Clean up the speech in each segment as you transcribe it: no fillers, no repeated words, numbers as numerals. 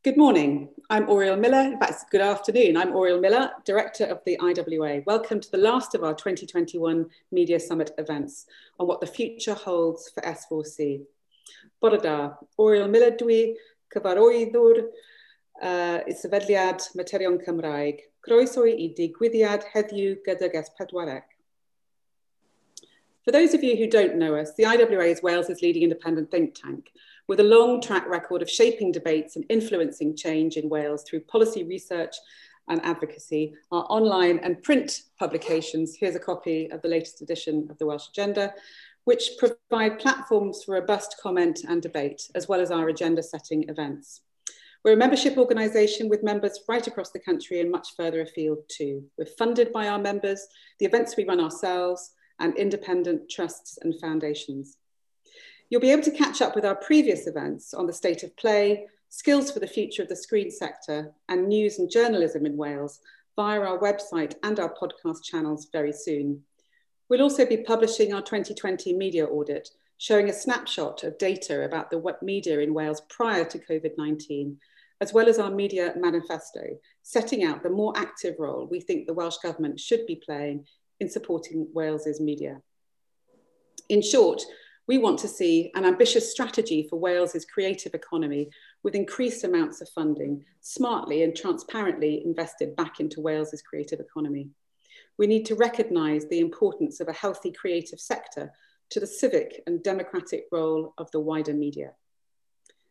Good morning, I'm Oriel Miller. In fact, good afternoon. I'm Oriel Miller, Director of the IWA. Welcome to the last of our 2021 Media Summit events on what the future holds for S4C. Bore da, Oriel Miller dwi, cyfarwyddwr Sefydliad Materion Cymraeg. Croeso i digwyddiad heddiw gydag S4C. For those of you who don't know us, the IWA is Wales's leading independent think tank, with a long track record of shaping debates and influencing change in Wales through policy research and advocacy, our online and print publications. Here's a copy of the latest edition of the Welsh Agenda, which provide platforms for robust comment and debate, as well as our agenda setting events. We're a membership organisation with members right across the country and much further afield too. We're funded by our members, the events we run ourselves, and independent trusts and foundations. You'll be able to catch up with our previous events on the state of play, skills for the future of the screen sector, and news and journalism in Wales via our website and our podcast channels very soon. We'll also be publishing our 2020 media audit, showing a snapshot of data about the media in Wales prior to COVID-19, as well as our media manifesto, setting out the more active role we think the Welsh Government should be playing in supporting Wales's media. In short, we want to see an ambitious strategy for Wales's creative economy with increased amounts of funding, smartly and transparently invested back into Wales's creative economy. We need to recognise the importance of a healthy creative sector to the civic and democratic role of the wider media.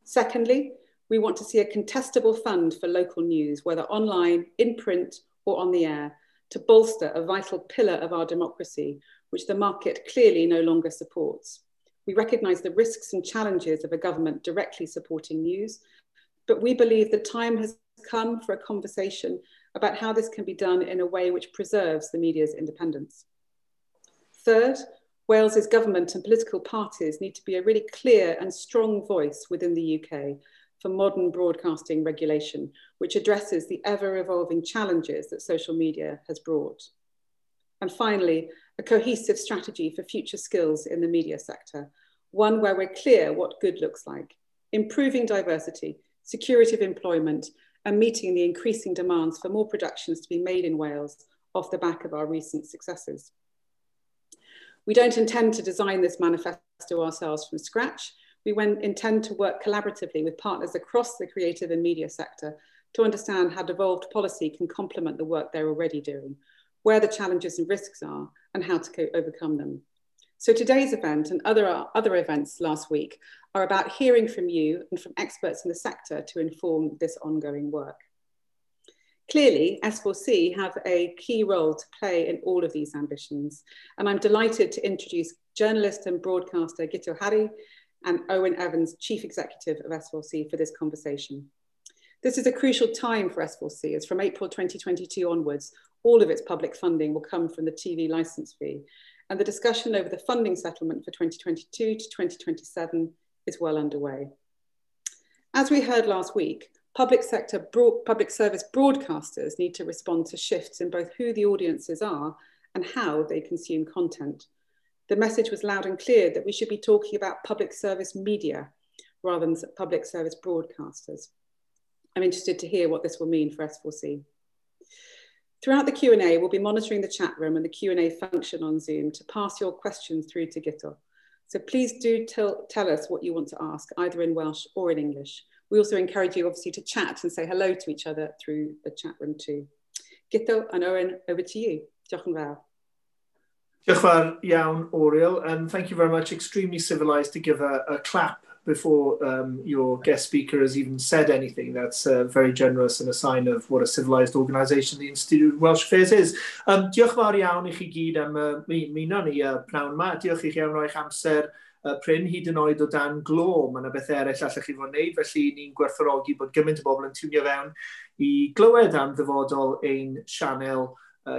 Secondly, we want to see a contestable fund for local news, whether online, in print, or on the air, to bolster a vital pillar of our democracy, which the market clearly no longer supports. We recognise the risks and challenges of a government directly supporting news, but we believe the time has come for a conversation about how this can be done in a way which preserves the media's independence. Third, Wales's government and political parties need to be a really clear and strong voice within the UK for modern broadcasting regulation, which addresses the ever-evolving challenges that social media has brought. And finally, a cohesive strategy for future skills in the media sector, one where we're clear what good looks like, improving diversity, security of employment, and meeting the increasing demands for more productions to be made in Wales off the back of our recent successes. We don't intend to design this manifesto ourselves from scratch. We intend to work collaboratively with partners across the creative and media sector to understand how devolved policy can complement the work they're already doing, where the challenges and risks are, and how to overcome them. So today's event and other events last week are about hearing from you and from experts in the sector to inform this ongoing work. Clearly, S4C have a key role to play in all of these ambitions, and I'm delighted to introduce journalist and broadcaster Guto Harri and Owen Evans, Chief Executive of S4C, for this conversation. This is a crucial time for S4C, as from April 2022 onwards, all of its public funding will come from the TV licence fee, and the discussion over the funding settlement for 2022 to 2027 is well underway. As we heard last week, public service broadcasters need to respond to shifts in both who the audiences are and how they consume content. The message was loud and clear that we should be talking about public service media rather than public service broadcasters. I'm interested to hear what this will mean for S4C. Throughout the Q&A, we'll be monitoring the chat room and the Q&A function on Zoom to pass your questions through to Guto. So please do tell us what you want to ask, either in Welsh or in English. We also encourage you, obviously, to chat and say hello to each other through the chat room too. Guto and Owen, over to you. Diolch yn fawr. Diolch yn fawr iawn, Oriel, and thank you very much. Extremely civilised to give a clap before your guest speaker has even said anything. That's very generous and a sign of what a civilised organisation the Institute of Welsh Affairs is. Diolch yn fawr iawn i chi gyd am ymuno ni pnawn yma. Diolch i chi am roi'ch amser prin hyd yn oed o dan glo. Mae yna beth eraill allech chi fod yn wneud, felly ni'n gwerthfawrogi bod gymaint o bobl yn tiwnio fewn i glywed am ddyfodol ein sianel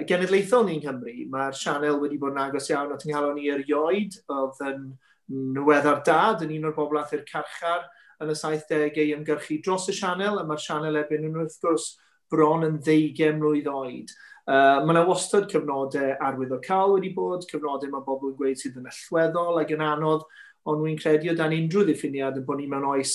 genedlaethol ni'n Nghymru. Mae'r sianel wedi bod yn agos iawn at nghalon ni erioed. Oedd yn nweddar dad yn un o'r bobl ath i'r carchar yn y 70au i ymgyrchu dros y sianel, a mae'r sianel erbyn hyn wrth gwrs bron yn 20 mlwydd oed. Mae yna wastad cyfnodau arwyddocaol wedi bod, cyfnodau mae bobl yn gweud sydd yn allweddol ac yn anodd, ond wy'n credu o dan unrhyw ddiffiniad yn bod ni mewn oes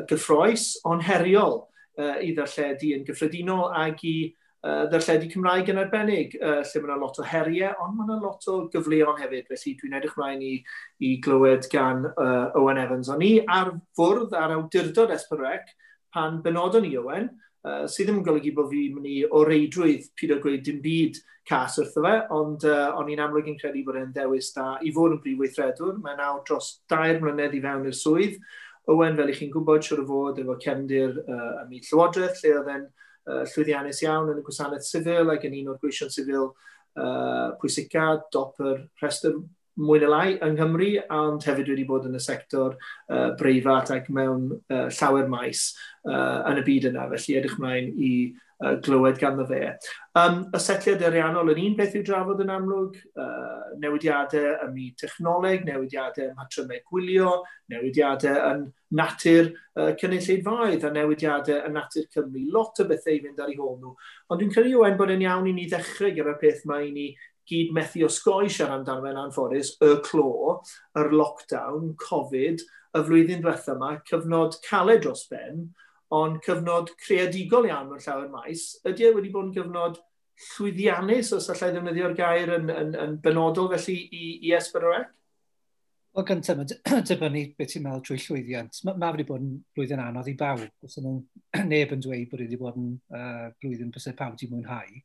gyffrous, ond heriol i ddarlledu yn gyffredinol ac i ddarlledu Cymraeg yn arbennig, lle mae yna lot o heriau, ond mae yna lot o gyfleon hefyd, felly dwi'n edrych mlaen i glywed gan Owen Evans. O'n i ar fwrdd ar awdurdod S4C pan benodon ni Owen, sydd ddim yn golygu bod fi'n mynd i o reidrwydd pido gweud dim byd cas wrtho fe, ond o'n i'n amlwg yn credu bod e'n ddewis da i fod yn brif weithredwr. Mae nawr dros 2 mlynedd i fewn i'r swydd. Owen, fel i chi'n gwybod, siwr o fod efo cefndir ym myd Llywodraeth, lle oedd e'n llwyddiannus iawn yn y gwasanaeth sifil ac yn un o'r gweision sifil pwysica, dop yr rhestr mwy neu lai yng Nghymru, ond hefyd wedi bod yn y sector breifat ac mewn llawer maes yn y byd yna. Felly edrych mlaen i glywed ganddo fe. Y setliad ariannol yn un peth i'w drafod yn amlwg, newidiadau ym myd technoleg, newidiadau ym mhatrymau gwylio, newidiadau yn natur cynulleidfaoedd a newidiadau yn natur Cymru. Lot o bethau i fynd ar eu hôl nhw. Ond dwi'n credu, Owen, bod e'n iawn i ni ddechrau gyda'r peth mae i ni gyd methu osgoi siarad amdano fe'n anffodus, y clo, yr lockdown, Covid, y flwyddyn diwetha yma, cyfnod caled dros ben, ond cyfnod creadigol iawn mewn llawer maes. Ydy e wedi bod yn gyfnod llwyddiannus, os allai ddefnyddio'r gair yn benodol felly i S4C? Wel, gyntaf, mae'n dibynnu beth ti'n meddwl trwy llwyddiant. Mae wedi bod yn blwyddyn anodd i bawb. Os yna neb yn dweud bod wedi bod yn blwyddyn bysau pawb wedi mwynhau.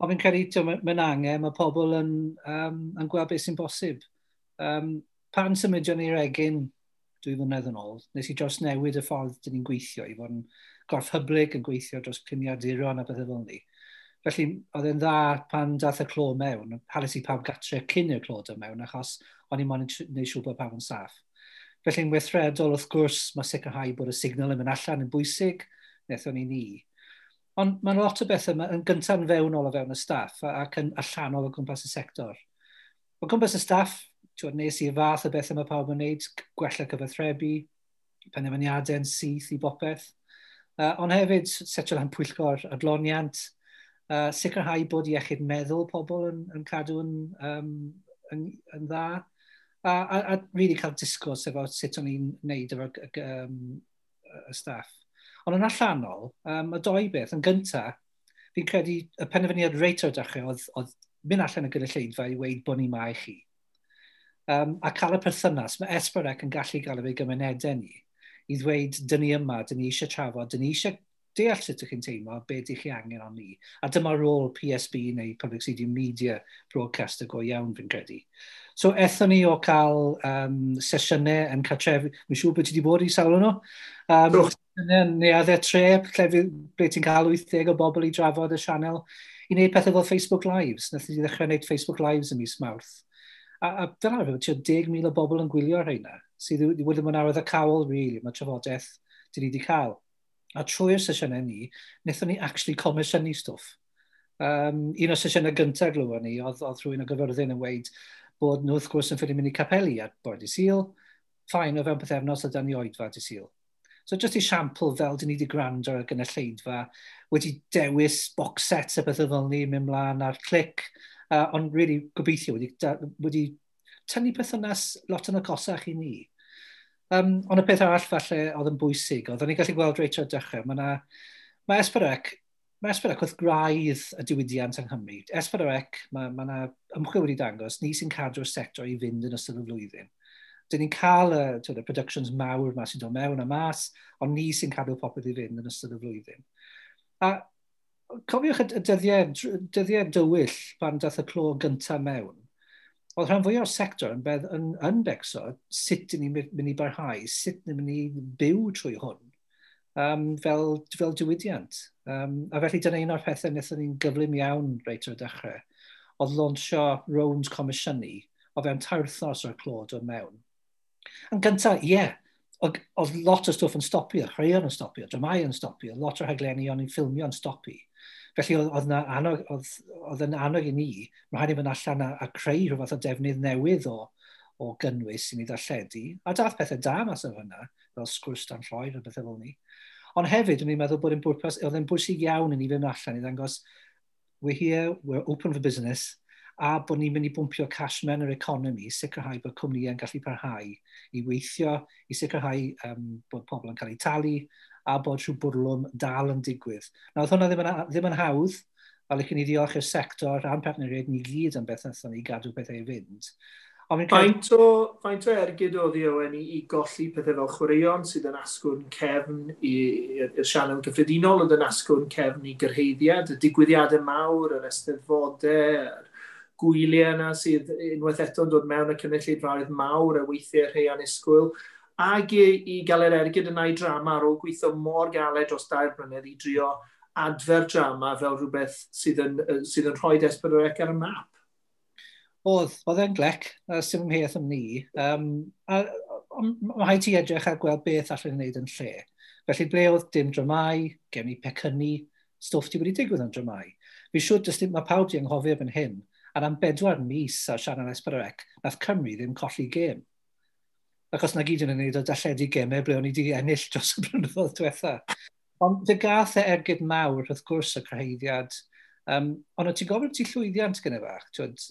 Ond fi'n credu, mae'n angen, mae pobl yn gweld beth sy'n bosib. Pan symudion ni'r Egin 2 flynedd yn ôl, nes i dros newid y ffordd dyn ni'n gweithio, i fod yn gorff hyblyg, yn gweithio dros gliniaduron a bethau fel ni. Felly, oedd e'n dda pan dath y clo mewn, hanes i pawb gatre cyn i'r clo dod mewn, achos o'n i'n moyn gwneud siŵr bod pawb yn saff. Felly'n weithredol, wrth gwrs, mae sicrhau bod y signal yn mynd allan yn bwysig, wnaethon ni. Ond mae'n lot o bethau yn gyntaf yn fewnol o fewn y staff ac yn allanol o gwmpas y sector. O gwmpas y staff, nes i fath o bethau mae pawb yn wneud, gwella cyfathrebu, penderfyniadau yn syth i bopeth. Ond hefyd, setio lan pwyllgor adloniant, sicrhau bod iechyd meddwl pobl yn cadw yn dda, a really cael disgwrs efo sut o'n i'n wneud efo'r y staff. Ond yn allanol, y doi beth, yn gyntaf, fi'n credu y penderfyniad reit o'r dechrau oedd mynd allan y gynulleidfa i weud bod ni ma i chi. A cael y perthynas, mae S4C yn gallu gael efo'i gymunedau ni, i ddweud, dyn ni yma, dyn ni eisiau trafod, dyn ni eisiau deall sut ydych chi'n teimlo, be ydych chi angen o'n ni. A dyma rôl PSB neu Public CD Media Broadcaster go iawn, fi'n credu. So, ethon ni o cael sesiynau yn cartrefi, mi'n siŵr bod ti wedi bod i sawl nhw. Sesiynau yn neuaddau tre, lle ble ti'n cael 80 o bobl i drafod y sianel, i wneud pethau fel Facebook Lives. Nath ni ddechrau wneud Facebook Lives ym mis Mawrth. A dyna rhywbeth, tua 10,000 o bobl yn gwylio rheina, sydd wedi bod yn arwyddocaol, really, mae trafodaeth dyn ni wedi cael. A trwy'r sesiynau ni, wnaethon ni actually comisiynu stwff. Un o'r sesiynau gyntaf glywon ni, oedd rhywun o Gyfyrddin yn weud bod nhw wrth gwrs yn ffili mynd i capeli ar bore dydd Sul, fine, o fewn pythefnos oedd dan ni oedfa dydd Sul. So just esiampl fel dyn ni wedi gwrando ar y gynulleidfa, wedi dewis box sets a bethau fel ni, mynd mlaen ar clic, ond really gobeithio wedi tynnu perthynas lot yn agosach i ni. Ond y peth arall falle oedd yn bwysig, oedd o'n i'n gallu gweld reit o'r dechrau, mae S4C, mae S4C wrth graidd y diwydiant yng Nghymru. S4C, mae yna ymchwil wedi dangos, ni sy'n cadw'r sector i fynd yn ystod y flwyddyn. Dyn ni'n cael y productions mawr ma sy'n dod mewn a mas, ond ni sy'n cadw popeth i fynd yn ystod y flwyddyn. A cofiwch y dyddiau dywyll pan dath y clo gyntaf mewn, oedd rhan fwyaf o'r sector yn becso sut ni'n mynd i barhau, sut ni'n mynd i byw trwy hwn fel diwydiant. A felly dyna un o'r pethau wnaethon ni'n gyflym iawn reit o'r dechrau, oedd lansio rownd comisiynu o fewn 3 wythnos o'r clo dod mewn. Yn gyntaf, ie, oedd lot o stwff yn stopio, chwaraeon yn stopio, dramau yn stopio, lot o'r rhaglenni o'n i'n ffilmio yn stopi. Felly oedd yn annog i ni, mae rhaid i fynd allan a creu rhyw fath o defnydd newydd o gynnwys i ni ddarlledu. A dath pethau da mas o hynna, fel Sgwrs Dan Lloer a bethau fel ni. Ond hefyd, o'n i'n meddwl bod oedd yn bwysig iawn i ni fynd allan i ddangos, we're here, we're open for business, a bod ni'n mynd i bwmpio cash mewn yr economi, sicrhau bod cwmnïau'n gallu parhau i weithio, i sicrhau bod pobl yn cael eu talu, a bod rhyw bwrlwm dal yn digwydd. Nawr, oedd hwnna ddim yn hawdd, a licen i ddiolch i'r sector a'n partneriaid ni gyd am beth wnaethon ni gadw pethau i fynd. Faint o ergyd oedd i Owen i golli pethau fel chwaraeon sydd yn asgwrn cefn i'r sianel gyffredinol, oedd yn asgwrn cefn i gyrhaeddiad, y digwyddiadau mawr, yr eisteddfodau, yr gwyliau yna sydd unwaith eto'n dod mewn y cynulleidfaoedd mawr a weithiau rhai annisgwyl, ac i gael yr ergyd yna i drama ar ôl gweithio mor galed dros 2 blynedd i drio adfer drama fel rhywbeth sydd yn rhoi S4C ar y map. Oedd e'n glec, sy'n ymheth am ni. Mae rhaid ti edrych a gweld beth allan ni wneud yn lle. Felly ble oedd dim dramau, gen i pecynnu, stwff ti wedi digwydd yn dramau. Fi siŵr jyst mae pawb di anghofio erbyn hyn, a am 4 mis ar sianel S4C, nath Cymru ddim colli gêm. Achos na gyd yn ei wneud o darlledu gemau ble o'n i wedi ennill dros y blynyddoedd diwetha. Ond fe gath e ergyd mawr, wrth gwrs, y cyrhaeddiad. Ond o ti'n gofyn ti llwyddiant gyda fach? Twyd,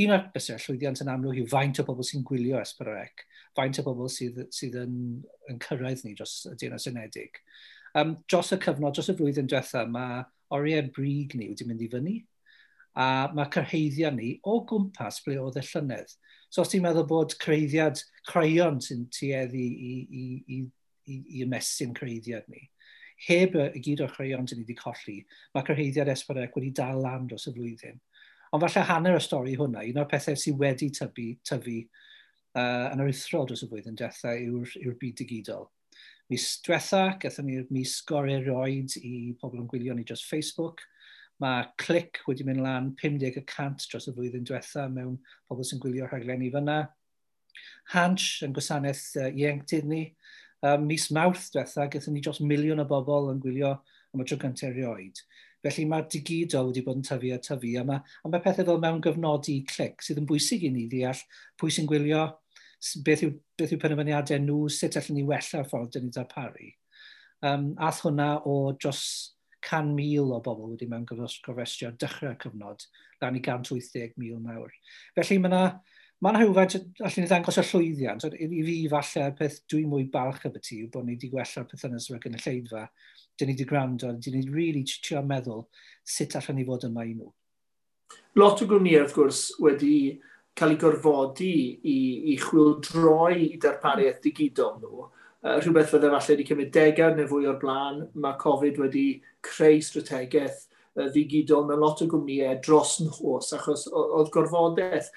un o'r bysau llwyddiant yn amlwg yw faint o bobl sy'n gwylio S4C, faint o bobl sydd yn cyrraedd ni dros y Deyrnas Unedig. Dros y cyfnod, dros y flwyddyn diwetha, mae oriau brig ni wedi mynd i fyny, a mae cyrhaeddiad ni o gwmpas ble oedd y llynedd. So os ti'n meddwl bod cyrhaeddiad chwaraeon sy'n tueddu i ymestyn cyrhaeddiad ni, heb y gyd o'r chwaraeon dyn ni wedi colli, mae cyrhaeddiad S4C wedi dal lan dros y flwyddyn. Ond falle hanner y stori hwnna, un o'r pethau sydd wedi tyfu yn aruthrol dros y flwyddyn diwetha yw'r byd digidol. Mis diwetha, gathon ni'r mis gorau erioed i pobl yn gwylio ni dros Facebook. Mae Clic wedi mynd lan 50% dros y flwyddyn diwetha mewn pobl sy'n gwylio rhaglenni fyna. Hansh yn gwasanaeth ieuenctid ni. Mis Mawrth diwetha, gathon ni dros 1 miliwn o bobl yn gwylio am y tro cyntaf erioed. Felly mae'r digidol wedi bod yn tyfu a tyfu, a mae pethau fel mewn gyfnodi Clic sydd yn bwysig i ni ddeall pwy sy'n gwylio, beth yw penderfyniadau nhw, sut allwn ni wella'r ffordd dyn ni darparu. Ath hwnna o dros 100,000 o bobl wedi mewn gofrestru ar dechrau'r cyfnod, lan i 180,000 nawr. Felly mae yna rhywfaint, allwn ni ddangos y llwyddiant. I fi falle, peth dwi'n mwy balch y ti yw bod ni wedi gwella'r perthynas efo'r gynulleidfa. Dyn ni wedi gwrando, dyn ni really trio meddwl sut allwn ni fod yma i nhw. Lot o gwmnïau, wrth gwrs, wedi cael ei gorfodi i chwyldroi i darpariaeth digidol nhw. Rhywbeth fydde falle wedi cymryd degawd neu fwy o'r blaen, mae Covid wedi creu strategaeth ddigidol mewn lot o gwmnïau dros nos, achos oedd gorfodaeth.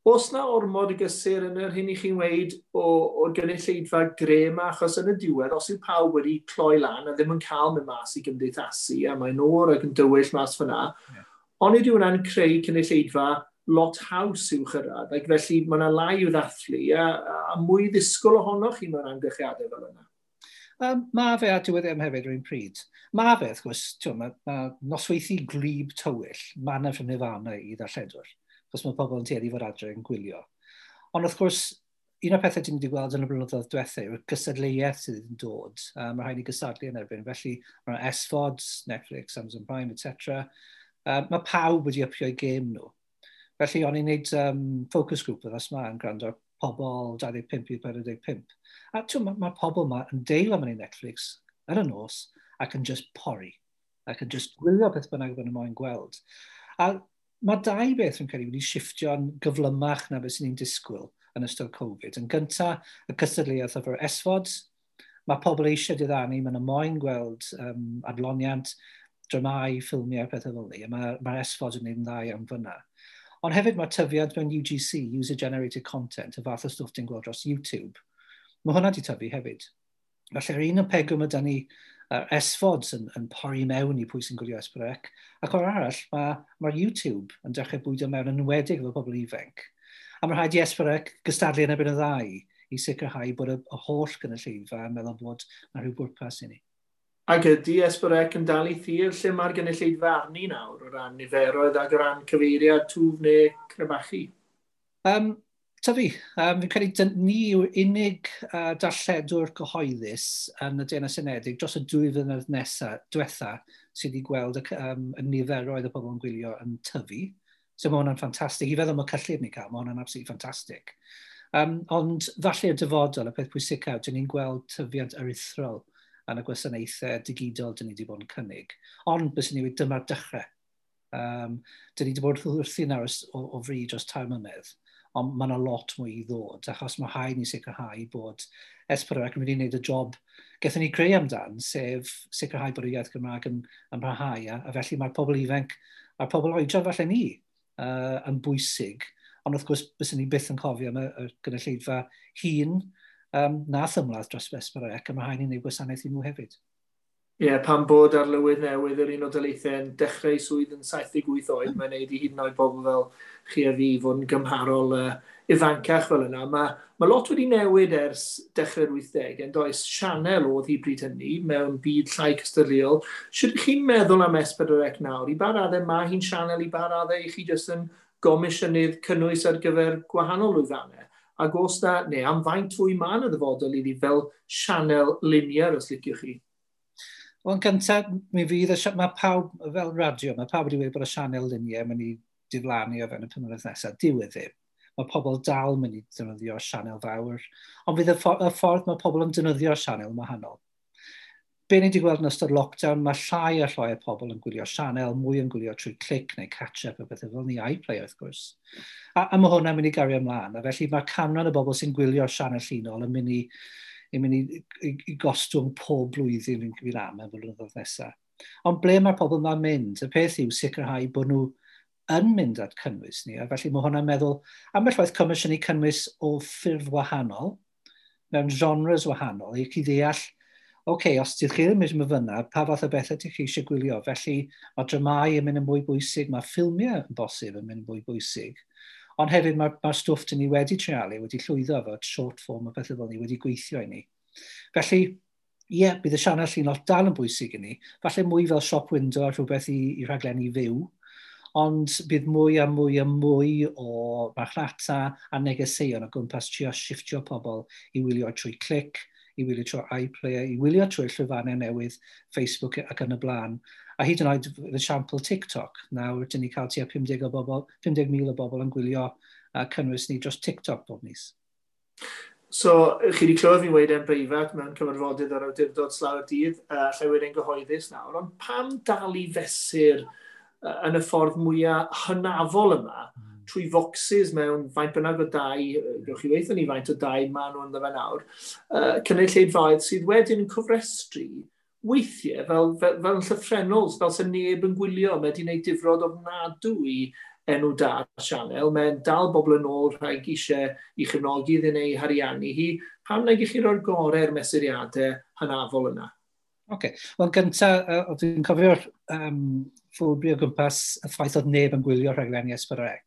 Oes na ormod o gysur yn yr hyn i chi'n weud o'r gynulleidfa gre yma, achos yn y diwedd, os yw pawb wedi cloi lan a ddim yn cael mynd mas i gymdeithasu, a mae'n oer ac yn dywyll mas fyna, onid yw hwnna'n creu cynulleidfa lot haws i'w chyrraedd, ac felly mae yna lai i'w ddathlu a mwy ddisgwyl ohonoch chi mewn amgylchiadau fel yna. Mae fe a diwedd ddim hefyd rwy'n pryd. Mae fe, wrth gwrs, mae nosweithi gwlyb tywyll, mae yna from Nirvana i ddarlledwr, achos mae pobl yn tueddu i fod adre yn gwylio. Ond wrth gwrs, un o'r pethau dyn ni wedi gweld yn y blynyddoedd diwethaf yw'r gystadleuaeth sydd yn dod. Mae rhaid i gystadlu yn erbyn. Felly mae SVODs, Netflix, Amazon Prime, etc. Mae pawb wedi upio'u gêm nhw. Felly o'n i'n neud focus group wythnos yma yn gwrando ar pobl 25 i 45. A mae pobl yma yn deilo mewn i Netflix yn y nos ac yn just pori. Ac yn just gwylio beth bynnag maen nhw moyn gweld. A mae dau beth yn credu wedi shifftio'n gyflymach na beth sy'n ni'n disgwyl yn ystod Covid. Yn gyntaf, y cystadleuaeth efo'r SVODs. Mae pobl eisiau diddanu, maen nhw moyn gweld adloniant, dramau, ffilmiau, pethau fel ni. A mae SVODs yn gwneud yn dda iawn fyna. Ond hefyd mae tyfiant mewn UGC, User Generated Content, y fath o stwff ti'n gweld dros YouTube. Mae hwnna wedi tyfu hefyd. Felly, ar un o pegwm yda ni SVODs yn pori mewn i pwy sy'n gwylio S4C, ac o'r arall, mae YouTube yn dechrau bwydo mewn yn enwedig efo pobl ifanc. A mae rhaid i S4C gystadlu yn erbyn y ddau i sicrhau bod y holl gynulleidfa yn meddwl bod yna rhyw bwrpas i ni. Ac ydy S4C yn dal i thir lle mae'r gynulleidfa arni nawr o ran niferoedd ac o ran cyfeiriad twf neu crebachu? Tyfu. Fi'n credu ni yw'r unig darlledwr cyhoeddus yn y Deyrnas Unedig dros y 2 flynedd nesaf, diwetha, sydd wedi gweld y niferoedd o bobl yn gwylio yn tyfu. So mae hwnna'n ffantastig. I feddwl am y cyllid ni cael, mae hwnna'n absolutely ffantastig. Ond falle y dyfodol, y peth pwysicaf, dyn ni'n gweld tyfiant aruthrol yn y gwasanaethau digidol dyn ni wedi bod yn cynnig. Ond bys ni wedi dyma'r dechrau. Dyn ni wedi bod wrthi nawr o fri dros 3 mlynedd, ond mae yna lot mwy i ddod, achos mae rhaid ni sicrhau bod S4C yn mynd i wneud y job gaethon ni creu amdan, sef sicrhau bod y iaith Gymraeg yn parhau, a felly mae'r pobl ifanc a'r pobl oedran falle ni yn bwysig, ond wrth gwrs byswn ni byth yn cofio am y gynulleidfa hŷn nath ymladd dros S4C, a mae rhaid ni wneud gwasanaeth i nhw hefyd. Ie, yeah, pan bod arlywydd newydd yr Unol Daleithiau yn dechrau swydd yn 78 oed, mae'n neud i hyd yn oed bobl fel chi a fi fod yn gymharol ifancach fel yna. Mae lot wedi newid ers dechrau'r 80au, yn does? Sianel oedd hi bryd hynny mewn byd llai cystadleuol. Sut ydych chi'n meddwl am S4C nawr? I ba raddau mae hi'n sianel, i ba raddau i chi jyst yn gomisiynydd cynnwys ar gyfer gwahanol lwyfannau? Ac os na, neu am faint fwy mae yn y ddyfodol iddi fel sianel linear, os liciwch chi? Wel, yn gyntaf, mi fydd y, mae pawb, fel radio, mae pawb wedi dweud bod y sianel linear yn mynd i diflannu o fewn y 5 mlynedd nesaf. Dyw e ddim. Mae pobl dal mynd i defnyddio sianel fawr. Ond fydd y ffordd mae pobl yn defnyddio'r sianel yn wahanol. Be ni wedi gweld yn ystod lockdown, mae llai a llai o pobl yn gwylio sianel, mwy yn gwylio trwy clic neu catch-up a bethau fel ni, iPlayer wrth gwrs. A mae hwnna'n mynd i gario ymlaen. A felly mae canran y bobl sy'n gwylio'r sianel llinol yn mynd i gostwng pob blwyddyn fi'n am y blynyddoedd nesaf. Ond ble mae'r pobl yma'n mynd? Y peth yw sicrhau bod nhw yn mynd at cynnwys ni, a felly mae hwnna'n meddwl, ambell waith comisiynu cynnwys o ffurf wahanol, mewn genres wahanol, i chi ddeall, oce, okay, os ydych chi ddim eisiau fyna, pa fath o bethau ydych chi eisiau gwylio? Felly mae dramau yn mynd yn mwy bwysig, mae ffilmiau yn bosib yn mynd yn mwy bwysig. Ond hefyd mae'r stwff dyn ni wedi treialu, wedi llwyddo efo short form a pethau fel ni, wedi gweithio i ni. Felly, ie, yeah, bydd y sianel llinol dal yn bwysig i ni. Falle mwy fel shop window a rhywbeth i rhaglenni fyw, ond bydd mwy a mwy a mwy o marchnata a negeseuon o gwmpas trio shifftio pobl i wylio trwy clic, i wylio trwy iPlayer, i wylio trwy llwyfannau newydd, Facebook ac yn y blaen. A hyd yn oed, fy esiampl TikTok. Nawr, dyn ni cael tua 50 o bobl, 50,000 o bobl yn gwylio cynnwys ni dros TikTok bob mis. So, chi wedi clywed fi'n weud e'n breifat mewn cyfarfodydd o'r awdurdod slawer dydd, allai weud e'n gyhoeddus nawr, ond pam dal i fesur yn y ffordd mwyaf hynafol yma, trwy focsys mewn faint bynnag o dai, gewch chi weithio ni faint o dai maen nhw ynddo fe nawr, cynulleidfaoedd sydd wedyn yn cofrestru weithiau fel yn llythrennol, fel sy'n neb yn gwylio, mae wedi gwneud difrod ofnadw i enw da'r sianel, mae'n dal bobl yn ôl rhag eisiau i chefnogi iddyn ei hariannu hi. Pam nag i chi roi'r gorau'r mesuriadau hynafol yna? Oce. Okay. Wel, gyntaf, dwi'n cofio'r ffwlbri o gwmpas y ffaith oedd neb yn gwylio rhaglenni S4C.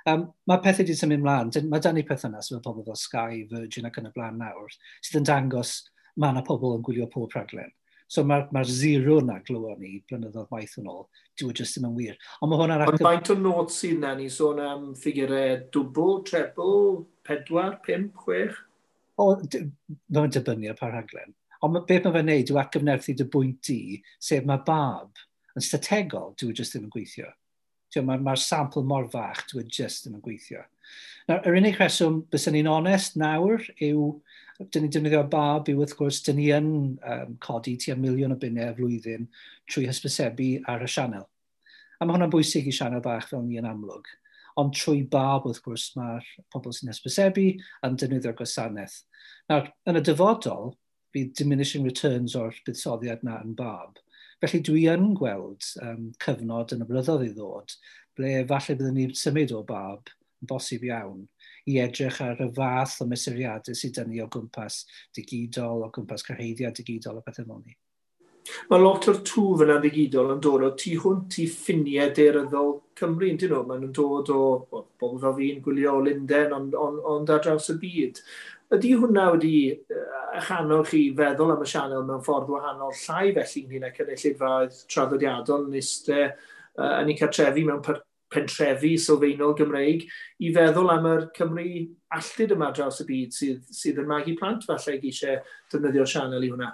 Mae pethau wedi symud ymlaen. Mae dan ni perthynas efo pobl fel Sky, Virgin ac yn y blaen nawr, sydd yn dangos mae yna pobl yn gwylio pob rhaglen. So mae'r zero na glywon ni blynyddoedd maith yn ôl, dyw e jyst ddim yn wir. Ond mae hwnna'n Ond faint o not sydd na ni sôn am ffigurau dwbl, trebl, 4, 5, 6? O, mae'n dibynnu ar pa rhaglen. Ond beth mae fe'n neud yw atgyfnerthu dy bwynt di, sef mae BARB yn strategol, dyw e jyst ddim yn gweithio. Mae'r sampl mor fach, dyw e jyst ddim yn gweithio. Nawr, yr unig rheswm, byswn ni'n onest nawr, yw, dyn ni'n defnyddio BARB yw wrth gwrs, dyn ni yn codi tua 1 miliwn o bunnau y flwyddyn trwy hysbysebu ar y sianel. A mae hwnna'n bwysig i sianel bach fel ni yn amlwg. Ond trwy BARB, wrth gwrs, mae'r pobl sy'n hysbysebu yn defnyddio'r gwasanaeth. Nawr, yn y dyfodol, bydd diminishing returns o'r buddsoddiad na yn BARB. Felly dwi yn gweld cyfnod yn y blynyddoedd i ddod, ble falle byddwn ni'n symud o BARB, yn bosib iawn, i edrych ar y fath o mesuriadau sydd dyn ni o gwmpas digidol, o gwmpas cyrhaeddiad digidol a pethau fel ni. Mae lot o'r twf yna ddigidol yn dod o tu hwnt i ffiniau daearyddol Cymru, yn dyn nhw? Maen nhw'n dod o bobl fel fi'n gwylio o Lundain, ond ar draws y byd. Ydy hwnna wedi eich annog chi feddwl am y sianel mewn ffordd wahanol, llai felly ynglyn â cynulleidfaoedd traddodiadol yn eistedd yn eu cartrefi mewn pentrefi sylfaenol Gymreig, i feddwl am yr Cymru alltud yma draws y byd sydd yn magu plant falle eisiau defnyddio'r sianel i hwnna?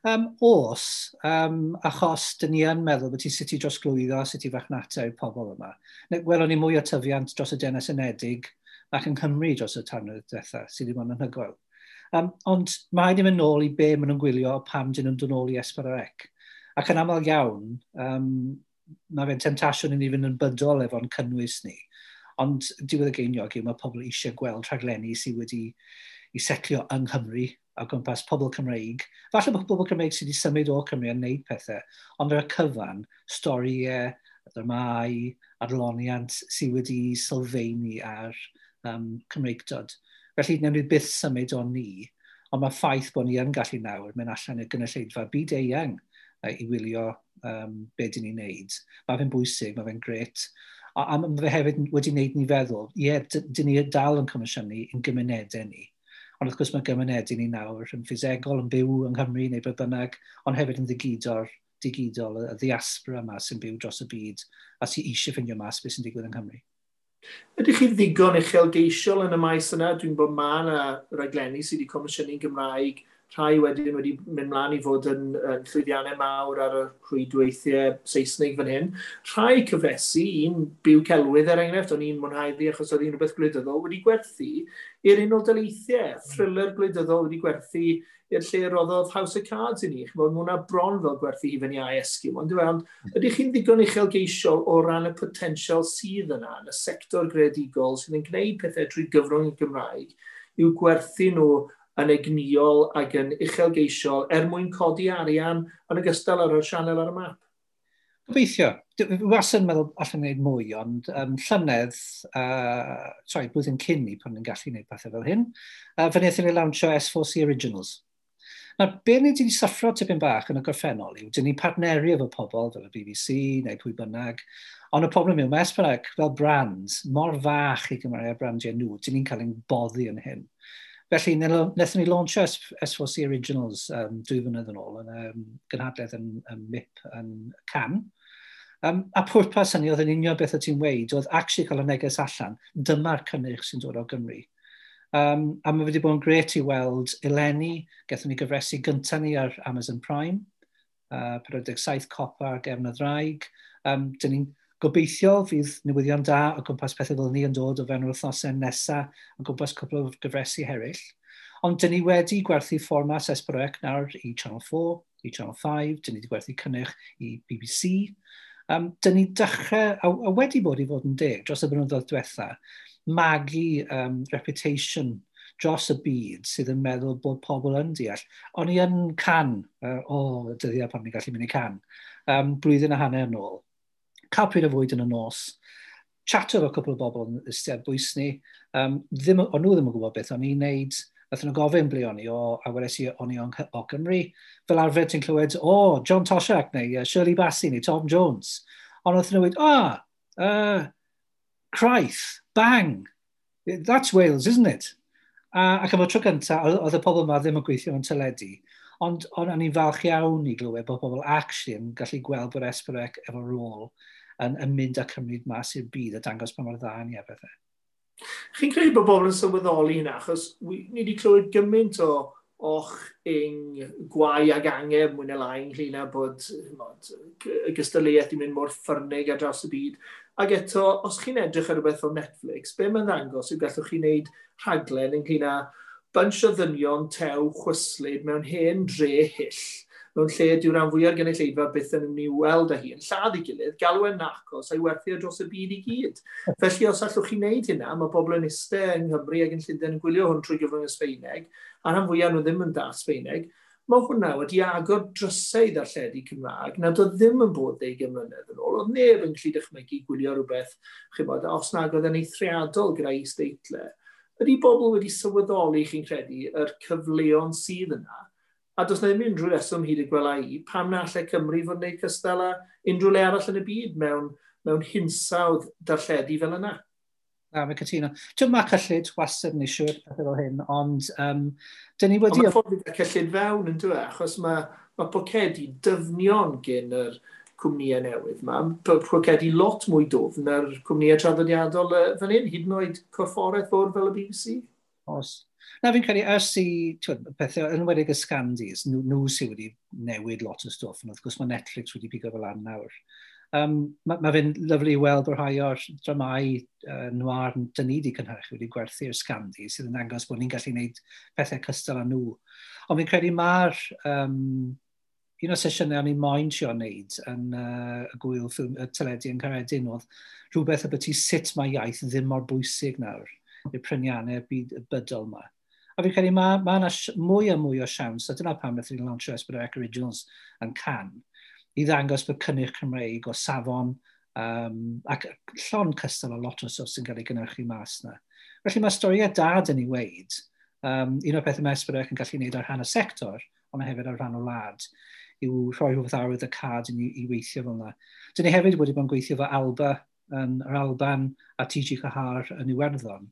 Os, achos dyn ni yn meddwl bod ti sut i drosglwyddo, sut i farchnata i'r pobl yma. Welon ni mwy o tyfiant dros y Deyrnas Unedig ac yng Nghymru dros y 3 mlynedd diwetha, sydd wedi bod yn anhygoel. Ond mae wedi mynd nôl i be maen nhw'n gwylio pam dyn nhw'n dod nôl i S4C. Ac yn aml iawn, mae fe'n temtasiwn i ni fynd yn bydol efo'n cynnwys ni. Ond diwedd y geiniog yw mae pobl eisiau gweld rhaglenni sydd wedi i setlio yng Nghymru o gwmpas pobl Cymreig. Falle bod pobl Cymreig sydd wedi symud o Cymru yn neud pethau, ond ar y cyfan, storïau, dramâu, adloniant sydd wedi sylfaenu ar Cymreigdod. Felly, newn ni byth symud o ni, ond mae ffaith bod ni yn gallu nawr mynd allan i'r gynulleidfa byd eang i wylio be dyn ni'n neud. Mae fe'n bwysig, mae fe'n gret. A mae fe hefyd wedi wneud ni feddwl, ie, yeah, dyn ni dal yn comisiynu yn gymunedau ni. Ond wrth gwrs mae gymunedau ni nawr yn ffisegol, yn byw yng Nghymru neu beth bynnag, ond hefyd yn digidol, y ddiaspora yma sy'n byw dros y byd a sy'n eisiau ffindio mas beth sy'n digwydd yng Nghymru. Ydych chi ddigon uchelgeisiol yn y maes yna? Dwi'n bod ma yna raglenni sydd wedi comisiynu'n Gymraeg, rhai wedyn wedi mynd mlaen i fod yn llwyddiannau mawr ar y rhwydweithiau Saesneg fan hyn. Rhai cyfresi, un Byw Celwydd er enghraifft, o'n i'n mwynhau ddi achos oedd un rhywbeth gwleidyddol, wedi gwerthu i'r Unol Daleithiau. Thriller gwleidyddol wedi gwerthu i'r lle roddodd House of Cards i ni. Ch'mod, mae hwnna bron fel gwerthu hufen iâ Esquimau. Ond, ond ydych chi'n ddigon uchelgeisiol o ran y potensial sydd yna yn y sector greadigol sydd yn gwneud pethau trwy gyfrwng y Gymraeg i'w gwerthu nhw yn egnïol ac yn uchelgeisiol er mwyn codi arian yn ogystal ar y sianel ar y map? Gobeithio. Dwi wastad yn meddwl allan wneud mwy, ond llynedd, sorry, blwyddyn cyn ni pan ni'n gallu gwneud pethau fel hyn, fe wnaethon ni lawnsio S4C Originals. Nawr, be ni wedi syffro tipyn bach yn y gorffennol yw, dyn ni'n partneru efo pobl fel y BBC neu pwy bynnag, ond y problem yw, mae S4C fel brand mor fach i gymharu â brandiau nhw, dyn ni'n cael ein boddi yn hyn. Felly, wnaethon ni launcho S4C Originals 2 flynedd yn ôl yn gynhadledd yn MIP yn Cannes. A pwrpas hynny oedd yn union beth o ti'n weud, oedd actually cael y neges allan, dyma'r cynnyrch sy'n dod o Gymru. A mae wedi bod yn gret i weld eleni, gaethon ni gyfresi gyntaf ni ar Amazon Prime, 47 copa ar gefn y ddraig. Dyn ni'n gobeithio fydd newyddion da o gwmpas pethau fel ni yn dod o fewn yr wythnosau nesaf o gwmpas cwpl o gyfresi eraill. Ond dyn ni wedi gwerthu fformat S4C nawr i Channel 4, i Channel 5, dyn ni wedi gwerthu cynnyrch i BBC. Dyn ni dechrau, a wedi bod i fod yn deg dros y blynyddoedd diwetha, magu reputation dros y byd sydd yn meddwl bod pobl yn deall. O'n i yn Cannes, o, dyddiau pan ni'n gallu mynd i Cannes, blwyddyn a hanner yn ôl. Cael pryd o fwyd yn y nos, chatio efo cwpl o bobl yn eistedd bwys ni. Ddim, o'n nhw ddim yn gwybod beth o'n i'n neud. Nathon nhw gofyn ble o'n i, o, a wedes i o'n i o Gymru. Fel arfer ti'n clywed, o, oh, John Toshack neu Shirley Bassey neu Tom Jones. Ond nathon nhw weud, ah, Craith, bang, that's Wales, isn't it? Ac am y tro gyntaf, oedd y pobl yma ddim yn gweithio mewn teledu, ond o'n i'n falch iawn i glywed bod pobl actually yn gallu gweld bod S4C efo rôl yn mynd â Cymru mas i'r byd a dangos pa mor dda ni a bethau. Chi'n credu bod bobl yn sylweddoli hynna, achos ni wedi clywed gymaint o och, ing, gwau ag angen mwy neu lai ynglyn â bod, ch'mod, y gystadleuaeth i mynd mor ffyrnig ar draws y byd. Ac eto, os chi'n edrych ar rhywbeth fel Netflix, be mae'n ddangos yw gallwch chi wneud rhaglen ynglyn â bunch o ddynion tew chwyslyd mewn hen dre hyll, mewn lle dyw rhan fwyaf gynulleidfa byth yn mynd i weld â hi, yn lladd ei gilydd, galw e'n Narcos a'i werthu ar dros y byd i gyd. Felly os allwch chi wneud hynna, mae bobl yn iste yng Nghymru ac yn Llundain yn gwylio hwn trwy gyfrwng y Sbeineg, a rhan fwyaf nhw ddim yn dallt Sbeineg, mae hwnna wedi agor drysau i ddarlledu Cymraeg nad oedd ddim yn bod 20 mlynedd yn ôl. Oedd neb yn gallu dychmygu gwylio rhywbeth, ch'mod, os nag oedd yn eithriadol gyda is-deitlau. Ydy bobl wedi sylweddoli, chi'n credu, yr cyfleon sydd yna? A does na ddim unrhyw reswm hyd y gwela i pam na allai Cymru fod yn gwneud cystal â unrhyw le arall yn y byd mewn hinsawdd darlledu fel yna. Na, mae'n cytuno. Dwi'n mae cyllid wastad yn issue pethau fel hyn, ond dyn ni wedi. Ond mae ffordd i gael cyllid fewn yn dweud, achos mae pocedi dyfnion gen yr cwmnïau newydd yma, pocedi lot mwy dwfn na'r cwmnïau traddodiadol fan hyn, hyd yn oed corfforaeth fawr fel y BBC. Os. Na, fi'n credu, ers i pethau, yn enwedig y Scandis, nhw sydd wedi newid lot o stwff, ond wrth gwrs mae Netflix wedi pigo fel lan nawr. Ma fe'n lyfli i weld bod rhai o'r dramau noir dyn ni wedi cynhyrchu wedi gwerthu'r Scandi, sydd yn dangos bod ni'n gallu gwneud pethau cystal â nhw. Ond fi'n credu mae'r un o'r sesiynau o'n i'n moyn trio wneud yn y gwyl ffilm, y teledu yn Caeredin oedd rhywbeth byti sut mae iaith ddim mor bwysig nawr i'r pryniannau byd bydol yma. A fi'n credu mae yna mwy a mwy o siawns, a dyna pam wnaethon ni lansio S4C Originals yn Cannes, i ddangos bod cynnyrch Cymreig o safon ac llon cystal o lot o stwff sy'n cael ei gynhyrchu mas na. Felly mae storiau da dyn ni weid. Un o'r pethau mae S4C yn gallu gwneud ar rhan y sector, ond hefyd ar rhan o wlad, yw rhoi rhywbeth arwydd y cad i ni i weithio fel yna. Dyn ni hefyd wedi bod yn gweithio fo Alba yn yr Alban a TG Cahar yn Iwerddon,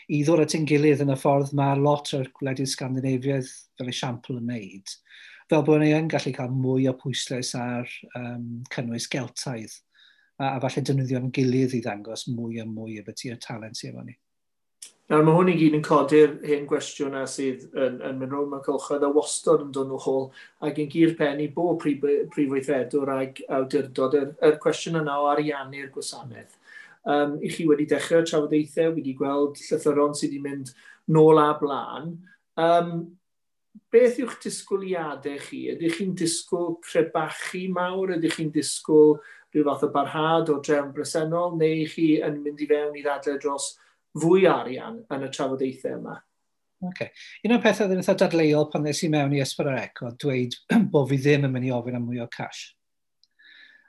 i ddod at ein gilydd yn y ffordd mae lot o'r gwledydd Scandinaviaidd fel esiampl yn wneud, fel bod ni yn gallu cael mwy o pwyslais ar cynnwys Geltaidd, a falle defnyddio'n gilydd i ddangos mwy a mwy o beth i'r talent sydd efo ni. Nawr, mae hwn i gyd yn codi'r hen gwestiwn na sydd yn mynd rownd mewn cylchoedd a wastod yn dod nhw hôl ac yn gyr pen i bob prif weithredwr ag awdurdod yr cwestiwn yna o ariannu'r gwasanaeth. I chi wedi dechrau trafodaethau, wedi gweld llythyron sydd wedi mynd nôl a blaen. Beth yw'ch disgwyliadau chi? Ydych chi'n disgwyl crebachu mawr? Ydych chi'n disgwyl rhyw fath o barhad o drefn bresennol? Neu chi yn mynd i fewn i ddadlau dros fwy arian yn y trafodaethau yma? Okay. Un o'r pethau oedd yn eitha dadleuol pan ddes i mewn i S4C oedd dweud bod fi ddim yn mynd i ofyn am mwy o cash.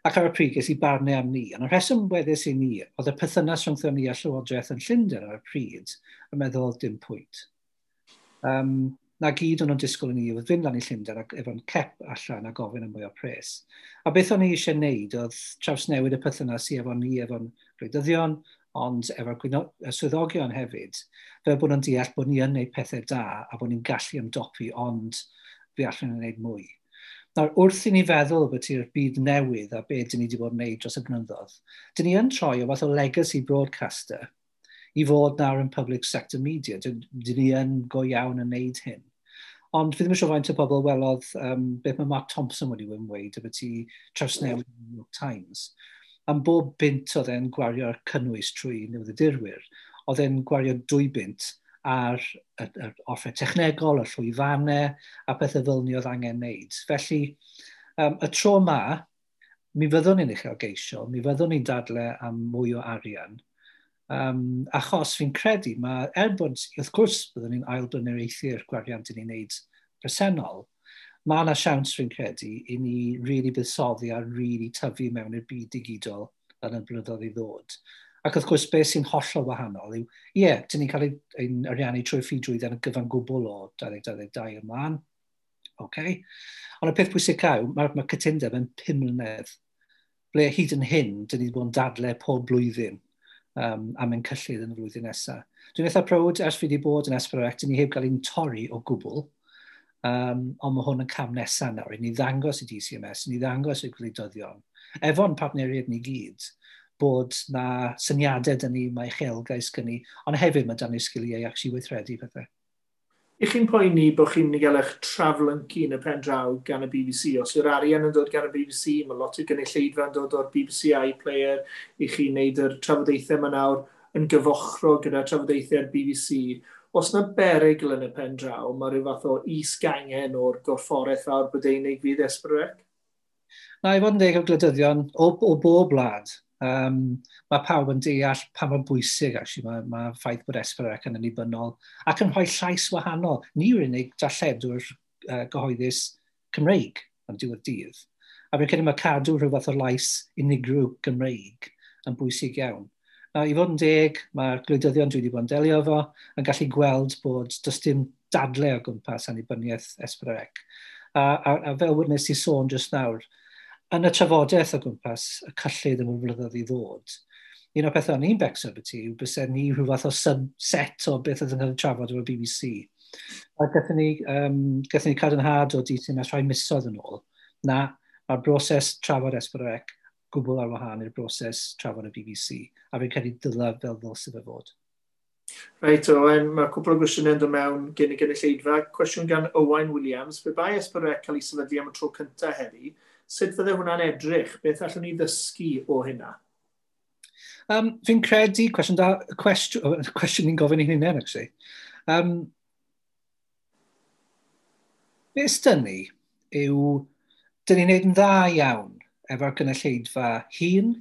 Ac ar y pryd ges i barnau am ni. Ond y rheswm weddus i ni, oedd y perthynas rhwngthon ni a Llywodraeth yn Llundain ar y pryd yn meddwl dim pwynt. Na gyd o'n nhw'n disgwyl i ni oedd fynd lan i Llundain ac efo'n cep allan a gofyn am mwy o pres. A beth o'n i eisiau wneud oedd trawsnewid y perthynas i efo ni efo'n gwleidyddion, ond efo'r swyddogion hefyd, fel bod nhw'n deall bod ni yn gwneud pethau da a bod ni'n gallu ymdopi, ond fe allwn ni wneud mwy. Nawr, wrth i ni feddwl bod i'r byd newydd a beth dyn ni wedi bod yn gwneud dros y blynyddoedd, dyn ni yn troi o fath o legacy broadcaster i fod nawr yn public sector media. Dyn ni yn go iawn yn wneud hyn. Ond fi ddim yn siŵr faint o bobl welodd beth mae Mark Thompson wedi weud about i trawsnewid New York Times. Am bob bunt oedd e'n gwario'r cynnwys trwy newyddiadurwyr, oedd e'n gwario 2 bunt ar yr offer technegol, y llwyfannau, a pethau fel ni oedd angen wneud. Felly, y tro ma, mi fyddwn ni'n uchelgeisiol, mi fyddwn ni'n dadle am mwy o arian, achos fi'n credu, mae, er bod, wrth gwrs, byddwn ni'n ailblaenoriaethu'r gwariant i ni'n wneud presennol, mae yna siawns fi'n credu i ni really buddsoddi a really tyfu mewn i'r byd digidol yn y blynyddoedd i ddod. Ac wrth gwrs, beth sy'n hollol wahanol yw, ie, dyn ni'n cael ein ariannu trwy ffidrwydd yn y gyfan gwbl o 2022 ymlaen. Okay. Ond y peth pwysicaf yw, mae cytundeb yn 5 mlynedd. Ble hyd yn hyn, dyn ni wedi bod yn dadle pob blwyddyn am ein cyllid yn y flwyddyn nesaf. Dwi'n eitha proud, ers fi wedi bod yn S4C, dyn ni heb gael ein torri o gwbl. Ond mae hwn yn cam nesaf nawr, i ni ddangos i DCMS, i ni ddangos i gwleidyddion, efo'n partneriaid ni gyd, bod na syniadau dyn ni, mae uchelgais gyn ni, ond hefyd mae dan ni sgiliau actually weithredu pethau. I chi'n poeni bod chi'n mynd i gael eich traflyncu yn y pen draw gan y BBC? Os yw'r arian yn dod gan y BBC, mae lot o gynulleidfa yn dod o'r BBC iPlayer, i chi'n neud yr trafodaethau yma nawr yn gyfochrog gyda trafodaethau'r BBC. Os na berygl yn y pen draw, mae rhyw fath o is-gangen o'r gorfforaeth fawr Brydeinig fydd S4C? Na, i fod yn deg o gwleidyddion, o bob wlad, mae pawb yn deall pa mor bwysig actually, mae ffaith bod S4C yn annibynnol ac yn rhoi llais wahanol. Ni yw'r unig darlledwr gyhoeddus Cymreig am diwedd dydd. A fi'n credu mae cadw rhyw fath o lais unigryw Gymreig yn bwysig iawn. Nawr, i fod yn deg, mae'r gwleidyddion dwi wedi bod yn delio efo yn gallu gweld bod does dim dadle o gwmpas annibyniaeth S4C. A fel wnes i sôn jyst nawr, yn y trafodaeth o gwmpas y cyllid yn y blynyddoedd i ddod, un o'r pethau o'n i'n becso byti yw byse ni rhyw fath o subset o beth oedd yn cael ei trafod efo'r BBC. A gathon ni cadarnhad o DCMS rhai misoedd yn ôl, na, mae'r broses trafod S4C gwbl ar wahân i'r broses trafod y BBC, a fi'n credu dylai fel ddylse fe fod. Reit, Owen, mae cwpl o gwestiynau yn dod mewn gen y gynulleidfa. Cwestiwn gan Owain Williams. Pe bai S4C cael ei sefydlu am y tro cyntaf heddi, sut fydde hwnna'n edrych? Beth allwn ni ddysgu o hynna? Fi'n credu, cwestiwn da, cwestiwn ni'n gofyn i hunain, actually. Beth dyn ni yw, dyn ni'n neud yn dda iawn efo'r gynulleidfa hun,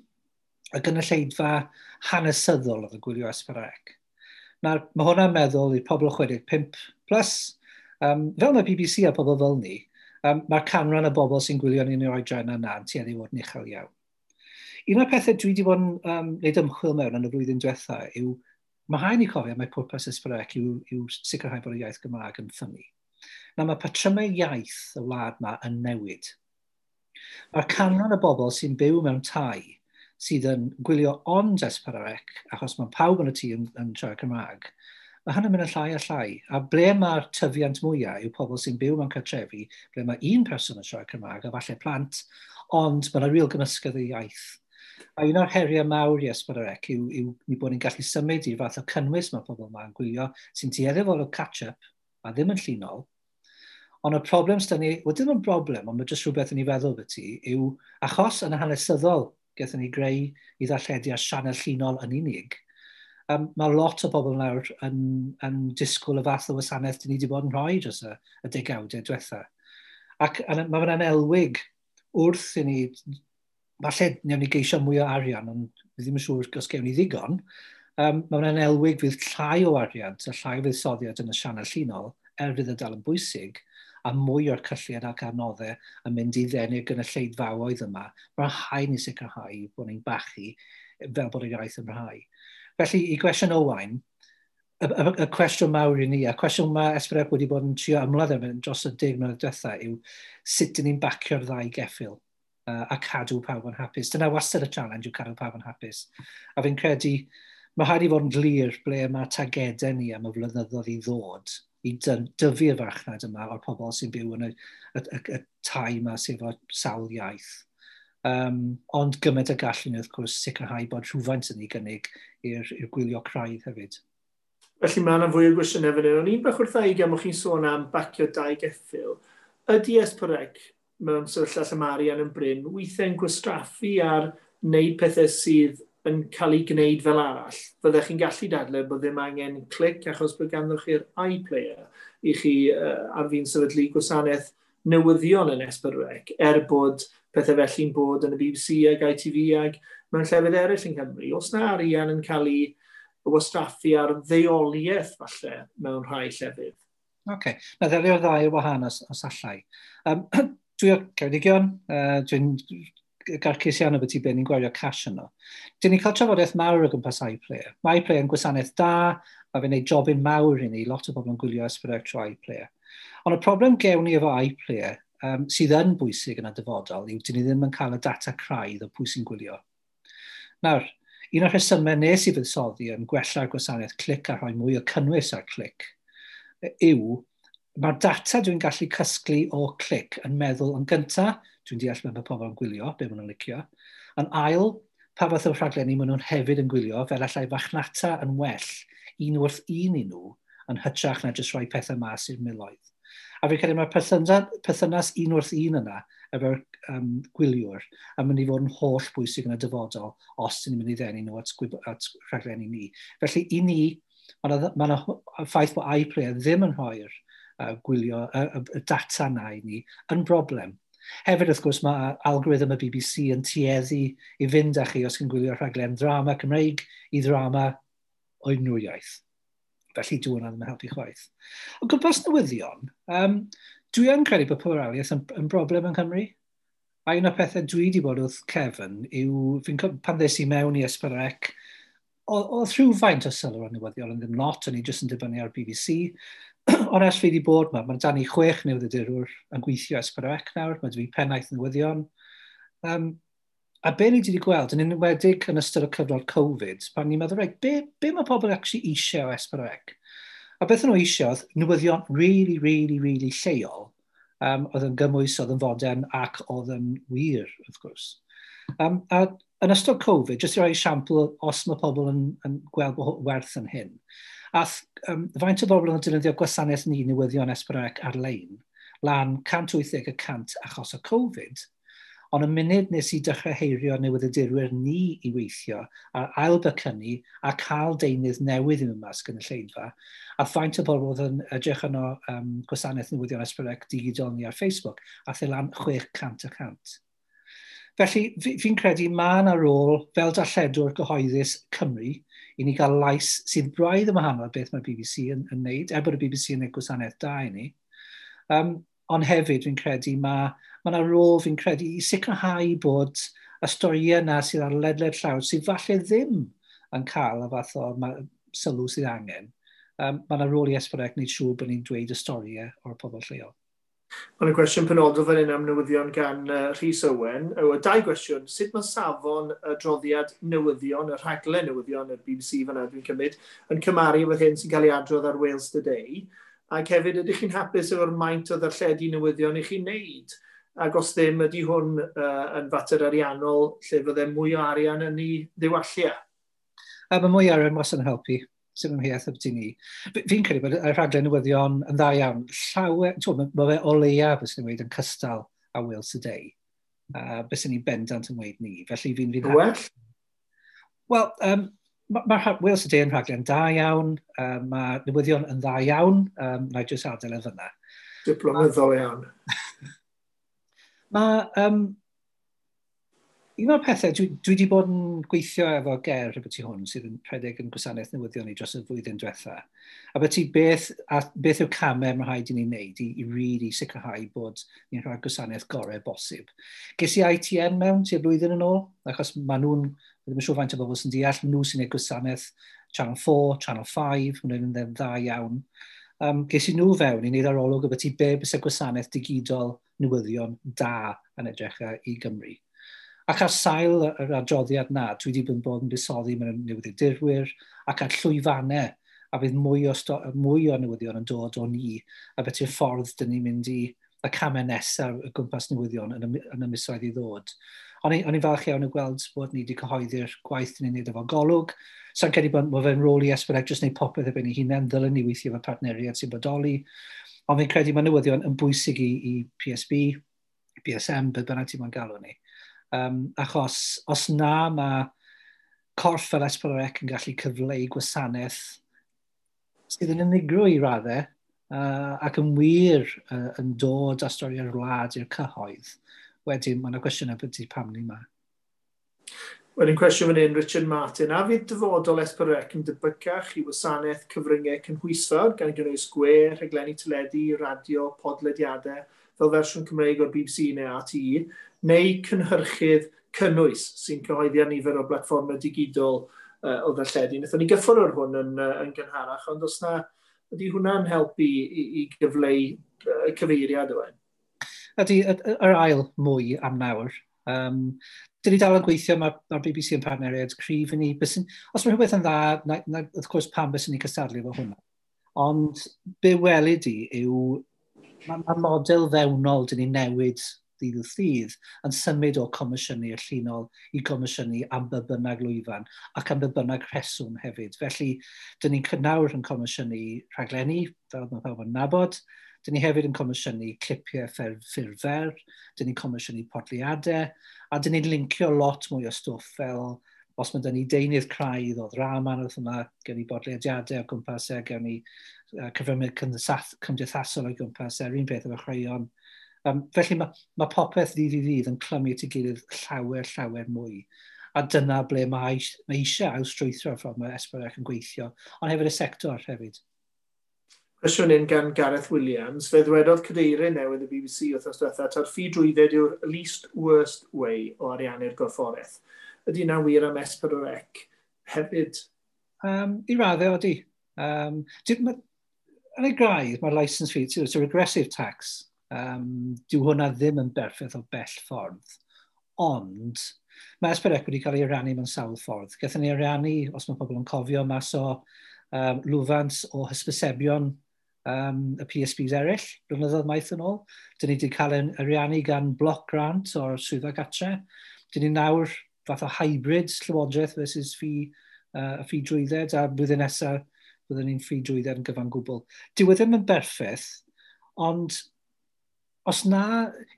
y gynulleidfa hanesyddol oedd y gwylio S4C. Nawr, mae hwnna'n meddwl i'r pobl 65 plus, fel mae BBC a pobl fel ni, mae'r canran y bobl sy'n gwylio ni'n yr oedran yna yn tueddu i fod yn uchel iawn. Un o'r pethau dwi wedi bod yn gwneud ymchwil mewn yn y flwyddyn diwetha yw, mae rhaid ni cofio mai pwrpas S4C yw sicrhau bod y iaith Gymraeg yn ffynnu. Nawr, mae patrymau iaith y wlad yma yn newid. Mae'r canran y bobl sy'n byw mewn tai sydd yn gwylio ond S4C, achos mae pawb yn y tŷ yn siarad Cymraeg, mae hynny'n mynd yn llai a llai. A ble mae'r tyfiant mwyaf yw pobl sy'n byw mewn cartrefi, ble mae un person yn siarad Cymraeg, a falle plant, ond mae yna real gymysgedd y iaith. A un o'r heriau mawr i S4C yw ni bod ni'n gallu symud i'r fath o cynnwys mae pobl yma'n gwylio, sy'n tueddu fod o catch-up, a ddim yn llinol. Ond y problem sydd ni, wel dim yn broblem, ond mae jyst rhywbeth yn ei feddwl beth ti, yw achos yn y hanesyddol gaethon ni greu i ddarlledu ar sianel llinol yn unig, mae lot o bobl nawr yn disgwyl y fath o wasanaeth dyn ni wedi bod yn rhoi dros y degawdau diwetha. Ac mae fe'n elwig wrth i ni, falle newn ni geisio mwy o arian, ond fi ddim yn siŵr os gewn ni ddigon, mae fe'n elwig fydd llai o arian a llai o fuddsoddiad yn y sianel llinol, er fydd y dal yn bwysig, a mwy o'r cyllid ac adnoddau yn mynd i ddenu'r gynulleidfaoedd yma. Mae'n rhaid ni sicrhau bod ni'n bachu fel bod y iaith yn parhau. Felly, i gwestiwn Owain, y cwestiwn mawr i ni, a cwestiwn mae S4C wedi bod yn trio ymladd efo dros y 10 mlynedd diwetha yw sut dyn ni'n bacio'r ddau geffyl a cadw pawb yn hapus. Dyna wastad y challenge yw cadw pawb yn hapus. A fi'n credu, mae rhaid i fod yn glir ble mae targedau ni am y flynyddoedd i ddod i dyfu'r farchnad yma o'r pobl sy'n byw yn y tai yma sydd efo sawl iaith. Ond gymaint y gallu ni wrth gwrs sicrhau bod rhywfaint yn ei gynnig i'r gwylio craidd hefyd. Felly mae yna fwy o gwestiynau fan hyn. O'n i'n bach wrtha i gan bod chi'n sôn am bacio dau geffyl. Ydy S4C mewn sefyllfa lle mae arian yn brin, weithiau'n gwastraffu ar wneud pethau sydd yn cael ei gwneud fel arall? Fyddech chi'n gallu dadle bod ddim angen Clic achos bod ganddo chi'r iPlayer i chi ar fin sefydlu gwasanaeth newyddion yn S4C, er bod pethau felly'n bod yn y BBC ag ITV ag mewn llefydd eraill yng Nghymru. Oes na arian yn cael ei wastraffu ar ddeuoliaeth falle mewn rhai llefydd? Oce, okay. Na ddelio'r ddau o wahan os allai. Dwi o Ceredigion, dwi'n garcus iawn o beth i be ni'n gwario cash yno. Dyn ni'n cael trafodaeth mawr o gwmpas iPlayer. Mae iPlayer yn gwasanaeth da, mae fe'n gwneud jobyn mawr i ni, lot o bobl yn gwylio S4C trwy iPlayer. Ond y problem gewn ni efo iPlayer, sydd yn bwysig yn y dyfodol, yw dyn ni ddim yn cael y data craidd o pwy sy'n gwylio. Nawr, un o'r rhesymau nes i fuddsoddi yn gwella'r gwasanaeth Clic a rhoi mwy o cynnwys ar Clic yw mae'r data dwi'n gallu casglu o Clic yn meddwl yn gyntaf, dwi'n deall beth mae pobl yn gwylio, be maen nhw'n licio. Yn ail, pa fath o rhaglenni maen nhw'n hefyd yn gwylio, fel allai farchnata yn well un wrth un i nhw, yn hytrach na jyst rhoi pethau mas i'r miloedd. A fi'n credu mae'r perthynas un wrth un yna efo'r gwyliwr yn mynd i fod yn holl bwysig yn y dyfodol os dyn ni'n mynd i ddenu nhw at rhaglenni ni. Felly i ni, mae yna ffaith bod iPlayer ddim yn rhoi'r gwylio y data na i ni yn broblem. Hefyd, wrth gwrs, mae algorithm y BBC yn tueddu i fynd â chi os chi'n gwylio rhaglen ddrama Cymreig i ddrama o unrhyw iaith. Felly dwi hwnna ddim yn helpu chwaith. O gwmpas newyddion, dwi yn credu bod pluraliaeth yn broblem yng Nghymru. A un o'r pethau dwi wedi bod wrth Kevin yw, pan ddes i mewn i S4C, oedd rhywfaint o sylw ar newyddion, ond ddim lot, o'n i jyst yn dibynnu ar BBC. Ond ers fi wedi bod yma, mae 'da ni 6 newyddiadurwr yn gweithio S4C nawr, mae 'da fi pennaeth newyddion. A be ni wedi gweld, yn enwedig yn ystod y cyfnod Covid, pan ni'n meddwl, reit, be mae pobl actually eisiau o S4C? A beth nhw eisiau oedd newyddion really, really, really lleol, oedd yn gymwys, oedd yn fodern ac oedd yn wir, wrth gwrs. A yn ystod Covid, jyst i roi esiampl os mae pobl yn gweld bod werth yn hyn, Ath faint o bobl yn defnyddio gwasanaeth ni newyddion S4C ar-lein, lan 180% achos o Covid, ond y munud nes i dechrau heirio newyddiadurwyr ni i weithio a ailbecynnu a cael deunydd newydd i mewn mas gynulleidfa, a faint o bobl oedd yn edrych yno gwasanaeth newyddion S4C digidol ni ar Facebook, a the lan 600%. Felly, fi'n credu mae yna rôl fel darlledwr gyhoeddus Cymru i ni gael lais sydd braidd yn wahanol beth mae'r BBC yn neud, er bod y BBC yn neud gwasanaeth da i ni. Ond hefyd fi'n credu mae yna rôl fi'n credu i sicrhau bod y storïau yna sydd ar ledled llawr sydd falle ddim yn cael y fath o sylw sydd angen. Mae yna rôl i S4C wneud siŵr bod ni'n dweud y storïau o'r pobl lleol. Mae yna gwestiwn penodol fan hyn am newyddion gan Rhys Owen. O, dau gwestiwn. Sut mae safon y droddiad newyddion, y rhaglen newyddion y BBC fan'na dwi'n cymryd, yn cymharu efo'r hyn sy'n cael ei adrodd ar Wales Today? Ac hefyd, ydych chi'n hapus efo'r maint o ddarlledu newyddion i chi'n neud? Ac os ddim, ydy hwn yn fater ariannol lle fydde mwy o arian yn ei ddiwallu? Mae mwy o arian wastad yn helpu. Sy'n ymheuaeth ambyti ni. Fi'n credu bod y rhaglen newyddion yn dda iawn. Llawer, mae fe o leia, bys ni'n dweud, yn cystal a Wales Today. Bys ni'n bendant yn dweud ni. Felly fi'n fi Well? Wel, mae Wales Today yn rhaglen da iawn. Mae newyddion yn dda iawn. Na i jyst adael e fyna. Diplomyddol iawn. Mae un o'r pethau, dwi wedi bod yn gweithio efo Ger rhywbeth hwn sydd yn rhedeg yn gwasanaeth newyddion ni dros y flwyddyn diwetha. A beth beth yw'r camau mae rhaid i ni wneud i really sicrhau bod ni'n rhoi gwasanaeth gorau bosib. Ges i ITN mewn tua blwyddyn yn ôl, achos maen nhw'n, ddim yn siŵr faint o bobl sy'n deall, nhw sy'n gwneud gwasanaeth Channel 4, Channel 5, maen nhw'n dda iawn. Ges i nhw fewn i wneud arolwg o beth i be byse gwasanaeth digidol newyddion da yn edrych i Gymru. Ac ar sail yr adroddiad na, dwi wedi bod yn buddsoddi mewn newyddiadurwyr ac ar llwyfannau, a bydd mwy o newyddion yn dod o ni, a beth yw'r ffordd dyn ni'n mynd i y camau nesaf y gwmpas newyddion yn y misoedd i ddod. O'n i'n falch iawn o gweld bod ni wedi cyhoeddi'r gwaith dyn ni'n neud efo Golwg. Sa'n credu bod mae fe'n rôl i S4C jyst wneud popeth ar ben ei hunain, ddylen ni weithio efo partneriaid sy'n bodoli. Ond fi'n credu mae newyddion yn bwysig i PSB, BSM, beth bynnag ti'n moyn galw ni. Achos os na mae corff fel S4C yn gallu cyfleu gwasanaeth sydd yn unigryw i raddau ac yn wir yn dod â stori'r wlad i'r cyhoedd, wedyn mae yna gwestiynau beth pam ni yma. Wedyn cwestiwn fan hyn, Richard Martin. A fydd dyfodol S4C yn debycach i wasanaeth cyfryngau cynhwysfawr gan gynnwys gwe, rhaglenni teledu, radio, podlediadau, fel fersiwn Cymreig o'r BBC neu RTE, neu cynhyrchydd cynnwys sy'n cyhoeddi ar nifer o blatfformau digidol o ddarlledu. Wnaethon ni gyffwrdd ar hwn yn gynharach, ond os na, ydy hwnna'n helpu i gyfleu cyfeiriad Owen? Ydy, yr ail mwy am nawr. Dyn ni dal yn gweithio, mae'r BBC yn partneriaid cryf i ni. Os mae rhywbeth yn dda, na, wrth gwrs pam byswn ni cystadlu efo hwnna. Ond be welid i yw, mae model fewnol dyn ni newid ddydd wrth ddydd yn symud o comisiynu y llinol i comisiynu am be bynnag lwyfan ac am be bynnag rheswm hefyd. Felly, dyn ni'n nawr yn comisiynu rhaglenni, fel mae pawb yn nabod. Dyn ni hefyd yn comisiynu clipiau ffurf fer, dyn ni'n comisiynu podlediadau, a dyn ni'n lincio lot mwy o stwff fel os mae dyn ni deunydd craidd o ddrama neu wrth yma, gen ni bodlediadau o gwmpas e, gen ni cyfryngau cymdeithasol o gwmpas e, yr un peth efo chwaraeon. Felly mae popeth ddydd i ddydd yn clymu at ei gilydd llawer, llawer mwy. A dyna ble mae eisiau ailstrwythro'r ffordd mae S4C yn gweithio, ond hefyd y sector hefyd. Cwestiwn un gan Gareth Williams. Fe ddwedodd cadeirydd newydd y BBC wythnos diwetha ta'r ffi drwydded yw'r least worst way o ariannu'r gorfforaeth. Ydy hynna'n wir am S4C hefyd? I raddau, odi. Yn ei graidd, mae'r licence fee, it's a regressive tax. Dyw hwnna ddim yn berffaith o bell ffordd. Ond mae S4C wedi cael ei ariannu mewn sawl ffordd. Gaethon ni ariannu, os mae pobl yn cofio, mas o lwfans o hysbysebion y PSBs eraill, blynyddoedd maith yn ôl. Dyn ni wedi cael ein ariannu gan block grant o'r swyddfa gatre. Dyn ni nawr fath o hybrid llywodraeth versus ffi drwydded, a blwyddyn nesaf Byddwn ni'n ffi drwydded yn gyfan gwbl. Dyw e ddim yn berffaith, ond os na,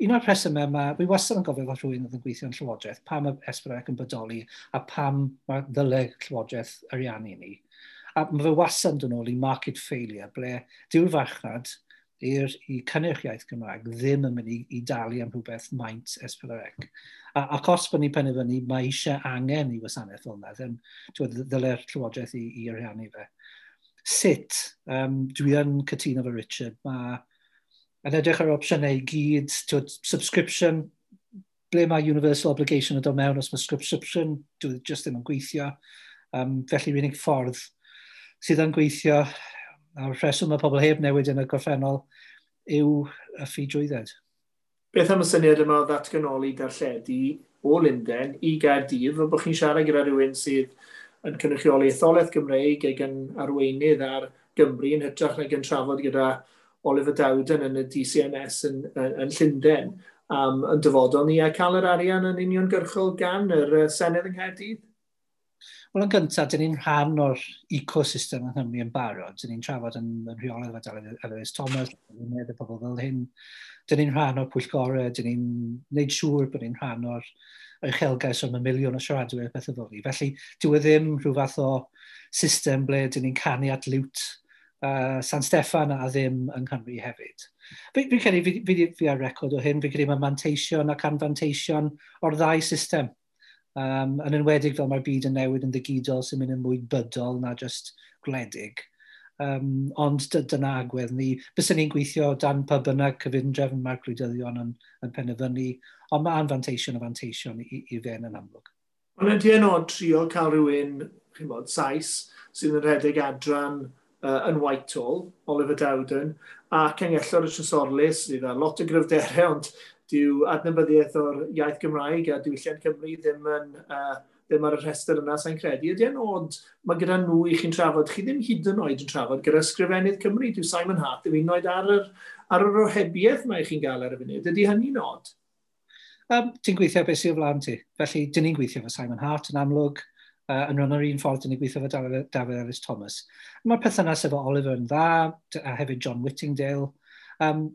un o'r rhesymau yma, fi wastad yn gofio fel rhywun oedd yn gweithio yn Llywodraeth, pam y S4C yn bodoli a pam mae ddyle Llywodraeth ariannu ni. A mae fe wastad yn dod nôl i market failure, ble dyw'r farchnad i cynnyrch iaith Gymraeg ddim yn mynd i dalu am rhywbeth maint S4C. Ac os bod ni'n penderfynu, mae eisiau angen i wasanaeth fel yna, then ddyle'r Llywodraeth i ariannu fe. Sut? Dwi yn cytuno efo Richard. Mae yn edrych ar opsiynau i gyd, subscription, ble mae universal obligation yn dod mewn, os mae subscription, dwi just ddim yn gweithio. Felly, yr unig ffordd sydd yn gweithio, a'r rheswm mae pobl heb newid yn y gorffennol, yw y ffi drwydded. Beth am y syniad yma o ddatganoli darlledu o Lundain i Gaerdydd, fel bod chi'n siarad gyda rhywun sydd yn cynrychioli etholaeth Gymreig ac yn arweinydd ar Gymru yn hytrach nag yn trafod gyda Oliver Dowden yn y DCMS yn Llundain am yn dyfodol ni a cael yr arian yn uniongyrchol gan yr Senedd yng Nghaerdydd? Wel, yn gyntaf, dyn ni'n rhan o'r ecosystem yng Nghymru yn barod. Dyn ni'n trafod yn rheolaidd efo Dafydd Elis Thomas, y pobl fel hyn. Dyn ni'n rhan o'r pwyllgorau, dyn ni'n gwneud siŵr bod ni'n rhan o'r uchelgais o'r miliwn o siaradwyr beth fel ni. Felly, dyw e ddim rhyw fath o system ble dyn ni'n canu at liwt San Steffan a ddim yng Nghymru hefyd. Fi'n credu, fi ar record o hyn, fi'n credu mae manteision ac anfanteision o'r ddau system. Yn enwedig fel mae'r byd yn newid yn ddigidol sy'n mynd yn mwy bydol na just gwledig. Ond dyna agwedd ni. Byswn ni'n gweithio dan pa bynnag cyfundrefn mae'r gwleidyddion yn penderfynu, ond mae anfanteision o fanteision i fe'n yn amlwg. Ond ydy e'n od trio cael rhywun, chi'n bod, Sais, sydd yn rhedeg adran yn Whitehall, Oliver Dowden, a Canghellor y Trysorlys, sydd â lot o gryfderau, ond dyw adnabyddiaeth o'r iaith Gymraeg a diwylliant Cymru ddim ar y rhestr yna, sa'n credu. Ydy e'n od, mae gyda nhw i chi'n trafod, chi ddim hyd yn oed yn trafod gyda Ysgrifennydd Cymru, dyw Simon Hart ddim hyd yn oed ar yr ohebiaeth mae chi'n gael ar y funud. Ydy hynny'n od? Ti'n gweithio beth sydd o flaen ti. Felly, dyn ni'n gweithio efo Simon Hart yn amlwg, yn rhan o'r un ffordd dyn ni'n gweithio efo Dafydd Elis Thomas. Mae'r perthynas efo Oliver yn dda, a hefyd John Whittingdale.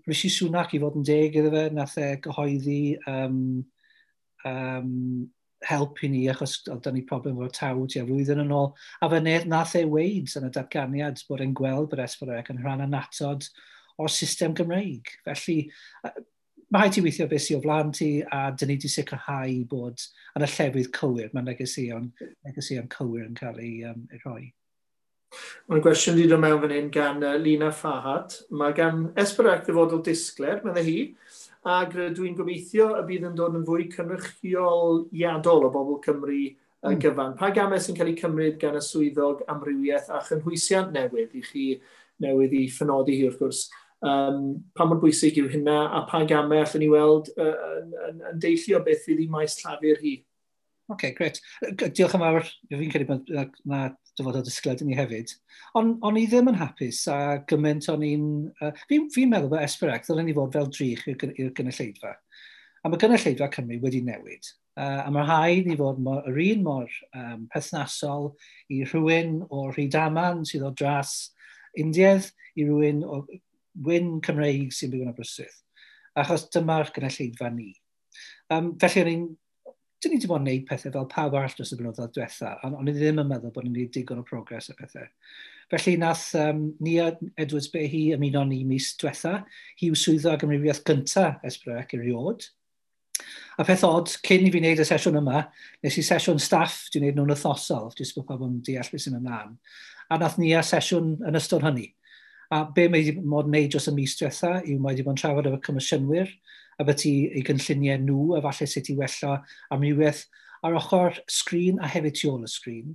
Rishi Sunak, i fod yn deg iddo fe, nath e gyhoeddi help i ni, achos oedd 'da ni problem efo'r taw tua flwyddyn yn ôl. A fe nath e weud yn y datganiad bod e'n gweld bod S4C yn rhan annatod o'r system Gymreig. Felly, mae rhaid ti weithio beth sydd o flaen ti, a dyn ni wedi sicrhau bod yn y llefydd cywir, mae negeseuon cywir yn cael ei rhoi. Mae'n gwestiwn wedi dod mewn fan hyn gan Lina Fahat. Mae gan S4C ddyfodol disglair, meddai hi, ac rydw i'n gobeithio y bydd yn dod yn fwy cynrychioliadol o bobl Cymru gyfan. Pa gamau sy'n cael eu cymryd gan y swyddog amrywiaeth a chynhwysiant newydd i chi newydd i ffynodi hi wrth gwrs? Pa mor bwysig yw hynna a pa gamau allwn ni weld yn deillio beth fydd i maes llafur hi? Oce, grêt. Diolch yn fawr. Fi'n credu bod na dyfodol disglair ni hefyd. Ond o'n i ddim yn hapus a gymaint o'n i'n... Fi'n meddwl bod S4C ddylen ni fod fel drych i'r gynulleidfa. A mae gynulleidfa Cymru wedi newid. A mae rhaid ni fod yr un mor perthnasol i rhywun o Rhydaman sydd o dras Indiaidd i rhywun o wyn Cymreig sy'n byw yn Aberystwyth. Achos dyma'r gynulleidfa ni. Felly o'n i'n dyn ni wedi bod yn gwneud pethau fel pawb arall dros y blynyddoedd diwetha, ond o'n i ddim yn meddwl bod ni'n gwneud digon o progres a pethau. Felly nath Nia Edwards Behi ymuno ni mis diwetha, hi yw swyddog amrywiaeth gynta S4C erioed. A peth od, cyn i fi wneud y sesiwn yma, nes i sesiwn staff, dwi'n gwneud nhw'n wythnosol, jyst bod pawb yn deall beth sy'n ymlaen. A nath Nia sesiwn yn ystod hynny. A be mae wedi bod yn gwneud dros y mis diwetha yw mae wedi bod yn trafod efo comisiynwyr, a beth i ei gynlluniau nhw, a falle sut i wella amrywiaeth ar ochr sgrin a hefyd tu ôl y sgrin.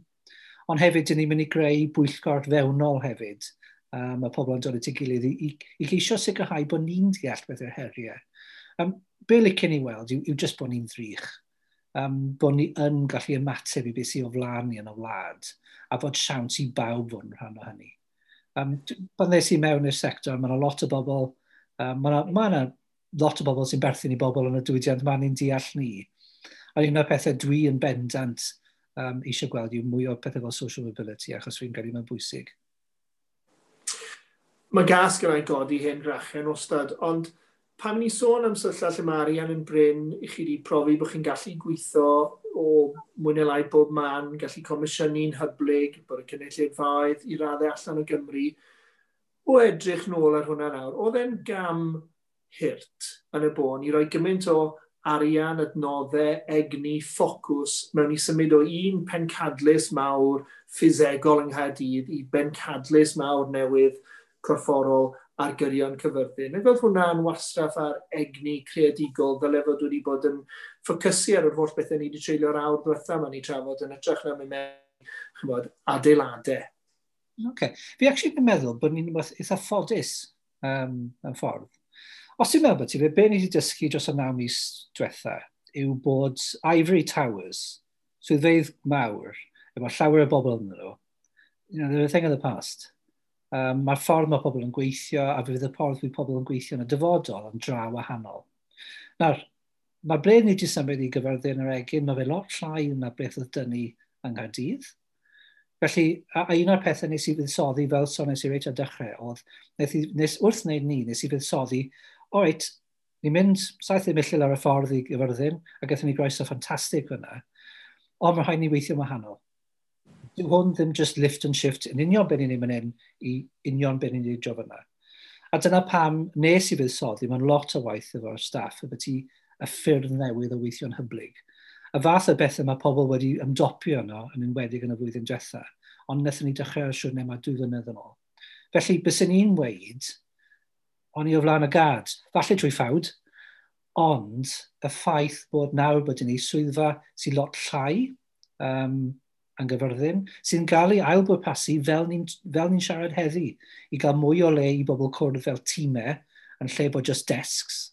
Ond hefyd, dyn ni'n mynd i greu bwyllgor fewnol hefyd. Mae pobl yn dod at ei gilydd i geisio sicrhau bod ni'n deall beth yw'r heriau. Be licen i weld yw jyst bod ni'n ddrych. Bod ni yn gallu ymateb i beth sydd o flaen ni yn y wlad, a bod siawns i bawb fod yn rhan o hynny. Pan ddes i mewn i'r sector, mae yna lot o bobl, mae yna lot o bobl sy'n berthyn i bobl yn y diwydiant, ma'n ni'n deall ni. A un o'r pethau dwi yn bendant eisiau gweld yw mwy o pethau fel social mobility, achos fi'n credu mae'n bwysig. Mae gas gyda'i godi hen grachen wastad, ond pan ni sôn am sefyllfa lle mae arian yn brin, i chi wedi profi bod chi'n gallu gweithio o mwy neu lai bob man, gallu comisiynu'n hyblyg, bod y cynulleidfaoedd i raddau allan o Gymru. O edrych nôl ar hwnna nawr, oedd e'n gam hurt yn y bôn i roi gymaint o arian, adnoddau, egni, ffocws mewn i symud o un pencadlys mawr ffisegol yng Nghaerdydd i bencadlys mawr newydd corfforol ar gyrion Cyfyrddin. Ac oedd hwnna'n wastraff ar egni creadigol ddyle fod wedi bod yn ffocysu ar yr holl bethau ni wedi treulio'r awr diwetha yma ni trafod yn hytrach na mynd mewn, chymod, adeiladau. Okay. Fi actually yn meddwl bod ni'n eitha ffodus yn ffordd. Os ti'n meddwl bod ti, be ni wedi dysgu dros y 9 mis diwetha yw bod Ivory Towers, swyddfeydd mawr, efo llawer o bobl yn nhw, they're a thing of the past. Mae'r ffordd mae pobl yn gweithio a fydd y ffordd fydd pobl yn gweithio yn y dyfodol yn dra wahanol. Nawr, mae ble ni wedi symud i Gyfyrddin yr Egin, mae fe lot llai na beth oedd dynnu yng Nghaerdydd. Felly, a un o'r pethau nes i fuddsoddi, fel soniais i reit ar dechrau, oedd, nes, wrth wneud ni, nes i fuddsoddi, o reit, ni'n mynd 70 milltir ar y ffordd i Gyfyrddin, a gaethon ni groeso ffantastig fyna, ond mae rhaid ni weithio'n wahanol. Dyw hwn ddim just lift and shift yn union beth ni'n mynd hyn i union beth ni'n neud fyna. A dyna pam nes i fuddsoddi, mae'n lot o waith efo'r staff, efo ti y ffyrdd newydd o weithio'n hyblyg. Y fath o bethau mae pobl wedi ymdopio yno, yn enwedig yn y flwyddyn diwetha, ond wnaethon ni dechrau ar siwrne yma 2 flynedd yn ôl. Felly, byswn i'n weud, o'n i o flaen y gad, falle trwy ffawd, ond y ffaith bod nawr bod ni swyddfa sy'n lot llai yn Gyfyrddin, sy'n cael ei ailbwrpasu fel ni'n siarad heddi, i gael mwy o le i bobl cwrdd fel tîmau, yn lle bod just desks,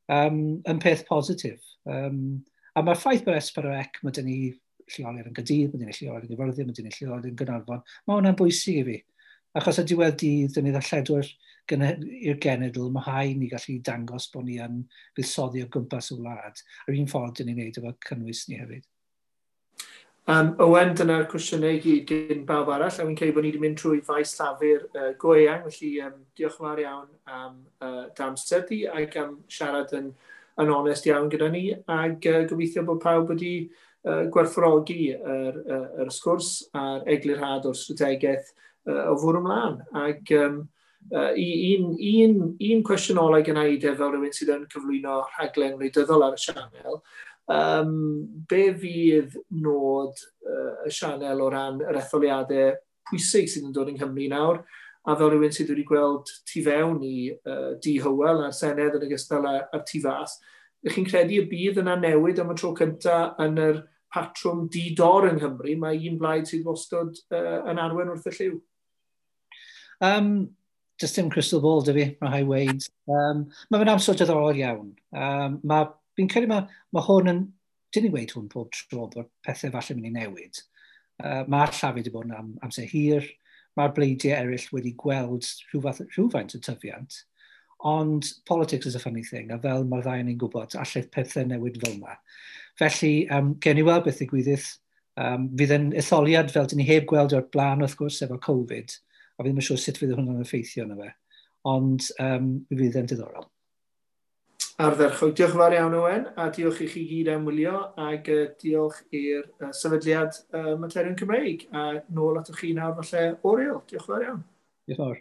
yn peth positif. A mae'r ffaith bod S4C, mae dyn ni lleoliad yn Gaerdydd, mae dyn ni lleoliad yn Gyfyrddin, mae dyn ni lleoliad yn Gaernarfon, mae hwnna'n bwysig i fi. Achos y diwedd dydd, dyn ni ddarlledwyr i'r genedl, mae rhaid ni gallu dangos bod ni yn buddsoddi o gwmpas y wlad. Yr un ffordd dyn ni'n neud efo cynnwys ni hefyd. Owen, dyna'r cwestiynau i gyd gen bawb arall, a fi'n credu bod ni wedi mynd trwy faes llafur go eang, felly diolch yn fawr iawn am dy amser di ac am siarad yn onest iawn gyda ni, ac gobeithio bod pawb wedi gwerthfawrogi yr sgwrs a'r eglurhad o'r strategaeth o fwrw ymlaen. Ac un cwestiwn ola gynna i de, fel rhywun sydd yn cyflwyno rhaglen wleidyddol ar y sianel, be fydd nod y sianel o ran yr etholiadau pwysig sydd yn dod yng Nghymru nawr, a fel rhywun sydd wedi gweld tu fewn i Di Hywel a'r Senedd yn ogystal â'r tu fas, ydych chi'n credu y bydd yna newid am y tro cyntaf yn yr patrwm di-dor yng Nghymru? Mae un blaid sydd wastad yn arwain wrth y llyw. Just dim crystal ball, dy fi, mae rhaid weud. Mae fe'n amser diddorol iawn. Fi'n credu mae hwn yn, dyn ni weud hwn pob tro bod pethau falle mynd i newid. Mae'r llafur wedi bod yn amser hir, mae'r bleidiau eraill wedi gweld rhywfaint o tyfiant, ond politics is a funny thing, a fel mae'r ddau ni'n gwybod, allai pethau newid fel yma. Felly, gen i weld beth ddigwyddith. Fydd yn etholiad fel dyn ni heb gweld o'r blaen, wrth gwrs, efo Covid, a fi ddim yn siŵr sut fydd hwnna'n effeithio arno fe. Ond fydd yn diddorol. Ardderchog. Diolch yn fawr iawn, Owen, a diolch i chi gyd am wylio, ac diolch i'r sefydliad Materion Cymreig. A nôl atoch chi nawr falle, Oriel. Diolch yn fawr iawn. Diolch yn fawr.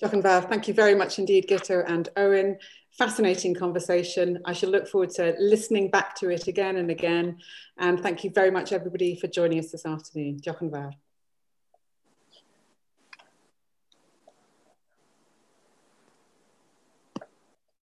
Diolch yn fawr. Thank you very much indeed, Guto and Owen. Fascinating conversation. I shall look forward to listening back to it again and again. And thank you very much, everybody, for joining us this afternoon. Diolch yn fawr.